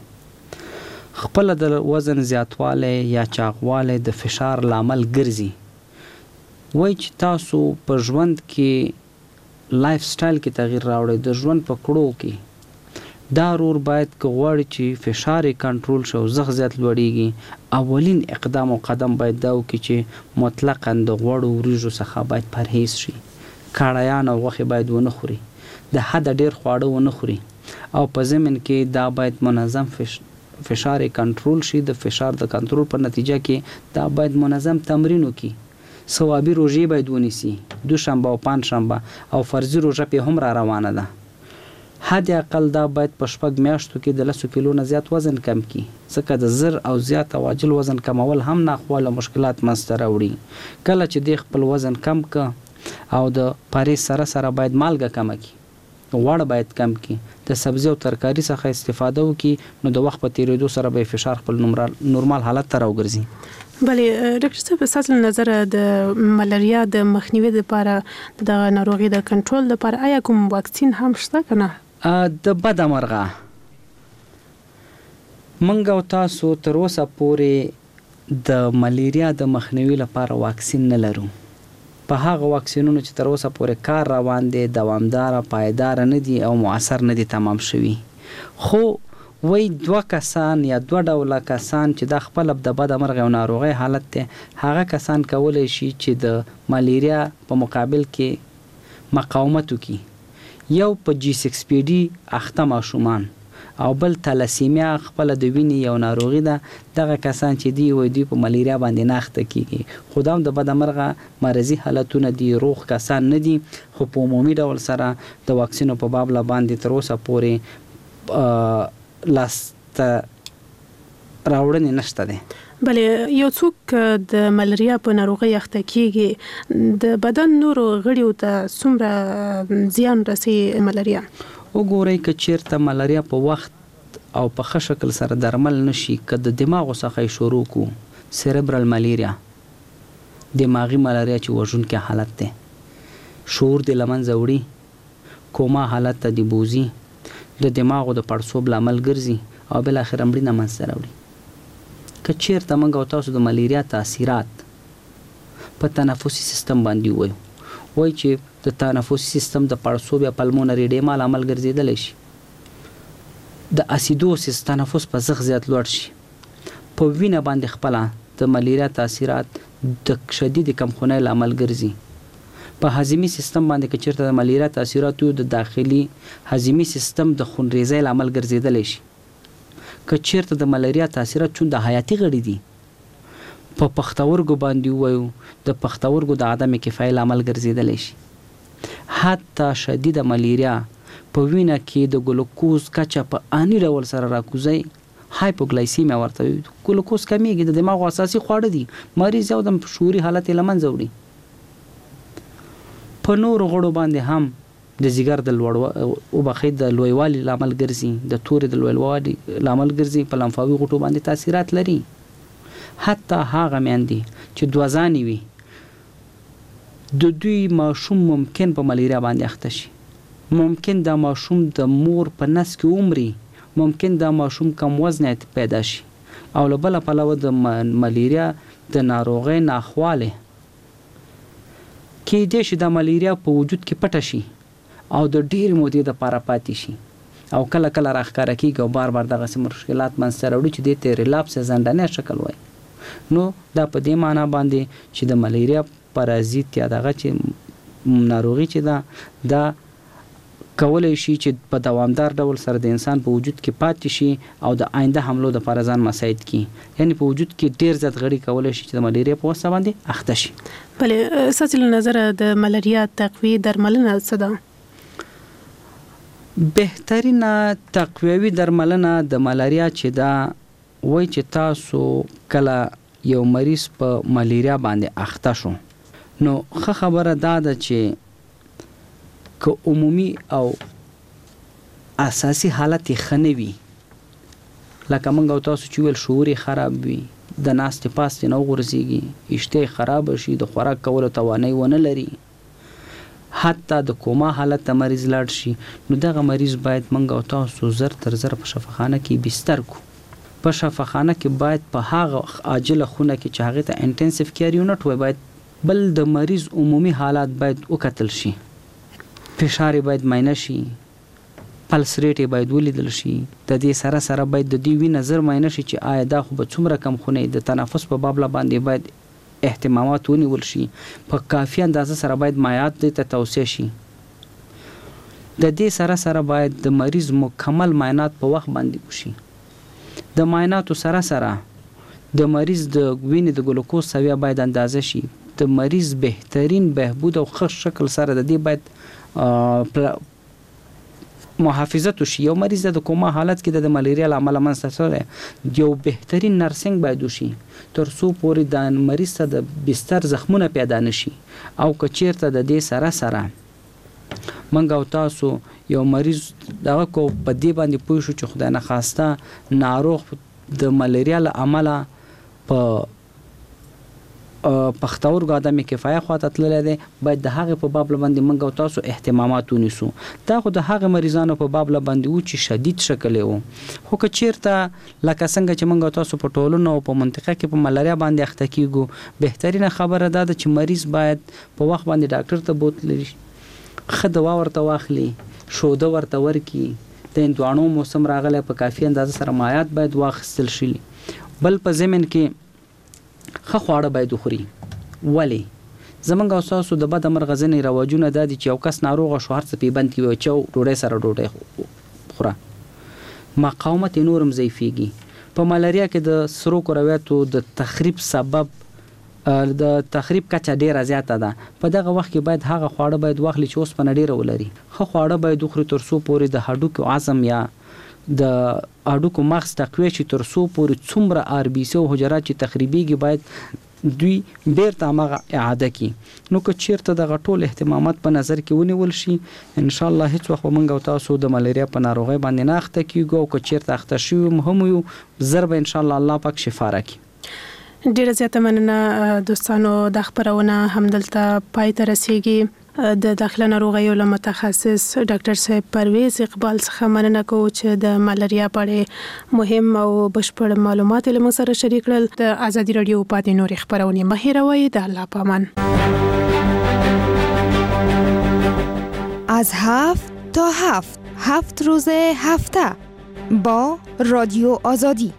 خپله د وزن زیاتوالی یا چاغوالی د فشار لامل ګرځي. وایي چې تاسو په ژوند کې life style کې تغییر راوړئ، د ژوند په کړو کې دا رور باید که غواړي چې فشار یې کنټرول شي او زخ زیات لوړیږي، اولین اقدام او قدم باید دا وکړي چې مطلقاً د غوړو وریژو څخه باید پرهیز شي، کړایان او غوښې باید ونه خوري، د حده ډېر خواړه ونه خوري، او په ضمن کې دا باید منظم فش... فشار یې کنټرول شي. د فشار د کنټرول په نتیجه کې دا باید منظم تمرین وکړي، ثوابي روژې باید ونیسي، دوشنبه او پنجشنبه، او فرضي روژه پې هم را روانه ده. حد اقل دا باید په شپږ میاشتو کې د لسو کیلو نه زیات وزن کم کړي، ځکه د زر او زیات او عاجل وزن کمول هم ناخواله مشکلات منځته راوړي. کله چې دی خپل وزن کم که او د پرهیز سره سره باید مالګه کمه کړي، غوړ باید کم کړي، د سبزي او ترکاري څخه استفاده وکړي، نو د وخت په تېرېدو سره به یې فشار خپل نورمال حالت ته راوګرځي. بله ډاکټر صاحب، ستاسو له نظره د ملاریا د مخنیوي لپاره، دغه ناروغي د کنټرول لپاره آیا کوم واکسین هم شته که نه؟ د بده مرغه موږ او تاسو تر اوسه پورې د ملیریا د مخنیوي لپاره واکسین نه لرو. په هغه واکسینونو چې تر اوسه پورې کار روان دی دوامداره، پایداره نه دي او مؤثر نه دي تمام شوي. خو وایي دوه کسان یا دوه ډوله کسان چې دا خپله د بده مرغه یو ناروغۍ حالت دی، هغه کسان کولی شي چې د ملیریا په مقابل کې مقاومت وکړي. یو په جي سکس پي ډي اخته ماشومان او بل تلاسیمیا خپله د وینې یو ناروغي ده. دغه کسان چې دی وایي دوی په ملیریا باندې نه اخته کیږي، خو دا هم د بده مرغه مرضي حالتونه دي، روغ کسان نه دي. خو په عمومي ډول سره د واکسینو په بابله باندې تر اوسه پورې لاسته راوړنې نشته دی. بله، یو څوک د ملاریا په ناروغۍ اخته کیږي، د بدن نورو غړیو ته څومره زیان رسي ملاریا؟ وګورئ، که چیرته ملاریا په وخت او په ښه شکل سره درمل نشي، که د دماغو څخه یې شروع کو، cerebral malaria، دماغي ملاریا چې وژونکی حالت دی، شعور دې له منځه وړي، کوما حالت ته دې بوځي، د دماغو د پړسوب لامل ګرځي او بالاخره مړینه منځته راوړي. که چیرته موږ او تاسو د ملیریا تاثیرات په تنفسي سیستم باندې ووایو، وایي چې د تنفسي سیستم د پړسوب یا pulmonary edema لامل ګرځېدلی شي، د acidosis تنفس په زښت زیات لوړ شي، په وینه باندې خپله د ملیریا تاثیرات د شدیدې کمخونۍ لامل ګرځي، په هضمي سیستم باندې که چیرته د ملیریا تاثیرات وي، د داخلي هضمي سیستم د خونریزۍ لامل ګرځېدلی شي. که چیرته د ملیریا تاثیرات چون د حیاتي غړي دي، په پښتورګو باندې ووایو، د پښتورګو د عدم کفایي لامل ګرځېدلی شي. حتی شدیده ملیریا په وینه کې د ګلوکوز کچه په آني ډول سره راکوزوي، hypoglycemia ورته وایي، ګلوکوز کمیږي، د دماغو اساسي خواړه دي، مریض یو دم شعوري حالت یې له منځه وړي. په نورو غړو باندې هم د ځیګر د لوړ وبخښئ د لویوالي لامل ګرځي، د تورې د لویوالي لامل ګرځي، په لمفاوي غوټو باندې تاثیرات لري. حتی هغه میندې چې دوه ځانې وي، د دوی ماشوم ممکن په ملیریا باندې اخته شي، ممکن دا ماشوم د مور په نس کې ومري، ممکن دا ماشوم کم وزنه پیدا شي. او له بله پلوه د ملیریا د ناروغۍ ناخوالې کیدای شي دا ملیریا په وجود کې پټه شي او د ډېرې مودې دپاره پاتې شي او کله کله راښکاره کېږي او بار بار دغسې مشکلات منځته راوړي چې دې ته relapse یا ځنډنی شکل وایي. نو دا په دې معنا باندې چې د ملیریا پرازیت یا دغه چې ناروغي چې ده، دا کولی شي چې په دوامدار ډول سره د انسان په وجود کې پاتې شي او د آینده حملو دپاره ځان مساعد کړي، یعنی په وجود کې ډېر زیات غړي کولی شي چې د ملیریا په واسطه باندې اخته شي. بله، ستاسې له نظره د ملاریا تقویې درملنه څه ده؟ بهترینه تقویوي درملنه د ملاریا چې ده، وایي چې تاسو کله یو مریض په ملیریا باندې اخته شو، نو ښه خبره دا ده چې که عمومي او اساسي حالت یې ښه نه وي، لکه موږ او تاسو چې وویل شعور یې خراب وي، د ناستې پاستې نه وغورځېږي، اشتها یې خرابه شي، د خوراک کولو توانایي ونه لري، حتی د کوما حالت ته مریض لاړ شي، نو دغه مریض باید موږ او تاسو زر تر زر په شفاخانه کې بستر کړو. په شفاخانه کې باید په هغه عاجله خونه کې چې هغې ته intensive care unit وایي، باید بل د مریض عمومي حالات باید وکتل شي، فشار یې باید معاینه شي، pulse rate یې باید ولیدل شي، د دې سره سره باید د دې وینه زر معاینه شي چې آیا دا خو به څومره کمخونی، د تنفس په بابله باندې باید اهتمامات ونیول شي، په کافي اندازه سره باید مایعات دې ته توصیه شي. د دې سره سره باید د مریض مکمل معاینات په وخت باندې وشي. د معایناتو سره سره د مریض د وینې د ګلوکوز سویه باید اندازه شي، د مریض بهترین بهبود او ښه شکل سره د دې باید محافظت وشي. یو مریض د کوما حالت کې د ملیریا له امله منځته راغلی، یو بهترین nursing باید وشي تر څو پورې د مریض ته د بستر زخمونه پیدا نشي. او که چیرته د دې سره سره موږ او تاسو یو مریض دغه کو په دې باندې پوه شو چې خدای نخواسته ناروغ د ملیریا له امله په پښتورګو عدم کفایه خواته تللی دی، باید د هغې په باب باندې موږ او تاسو اهتمامات ونیسو. دا خو د هغې مریضانو په باب باندې و چې شدید شکل یې و. خو که چیرته لکه څنګه چې موږ او تاسو په ټولنه او په منطقه کې په ملاریا باندې اخته کیږو، بهترینه خبره دا ده چې مریض باید په وخت باندې ډاکټر ته بوتلي، ښه دوا ورته واخلي، شوده ورته ورکړي، د هندواڼو موسم راغلی، په کافي اندازه سره مایعات باید واخیستل شي. بل په ضمن کې ښه خواړه باید وخوري. ولې؟ زمونږ او ستاسو د بده مرغه ځینې رواجونه دا دي چې یو کس ناروغه شو هر څه پې بند کړي، وایي چاو ډوډۍ سره ډوډۍ خوره، مقاومت یې نور هم ضعیفېږي. په ملاریا کې د سرو کرویاتو د تخریب سبب د تخریب کچه ډیره زیاته ده. په دغه وخت کې باید هغه خواړه باید واخلي چې اوسپنه ډیره ولري. ښه خواړه باید وخوري تر څو پورې د هډوکو عظم یا د هډوکو مغز تقویه شي، تر څو پورې څومره آر بي سي او حجرات چې تخریبیږي باید دوی بیرته هماغه اعاده کړي. نو که چیرته دغه ټول اهتمامات په نظر کې ونیول شي، انشاءالله هیڅ وخت به موږ او تاسو د ملاریا په ناروغۍ باندې نه اخته کیږو، او که چیرته اخته شوي هم یو، زر به انشاءالله الله پاک شفا راکړي. ډیره زیاته مننه دوستانو، دا خپرونه همدلته پای ته رسیږي. د داخله ناروغیو له متخصص ډاکټر صاحب پرویز اقبال څخه مننه کوو چې د ملاریا په اړه مهم او بشپړ معلومات له موږ سره شریک کړل. د ازادي راډیو پاتې نورې خپرونې مه هېروئ. د الله په امان. از هفت تا هفت، هفت روز هفته با رادیو آزادی.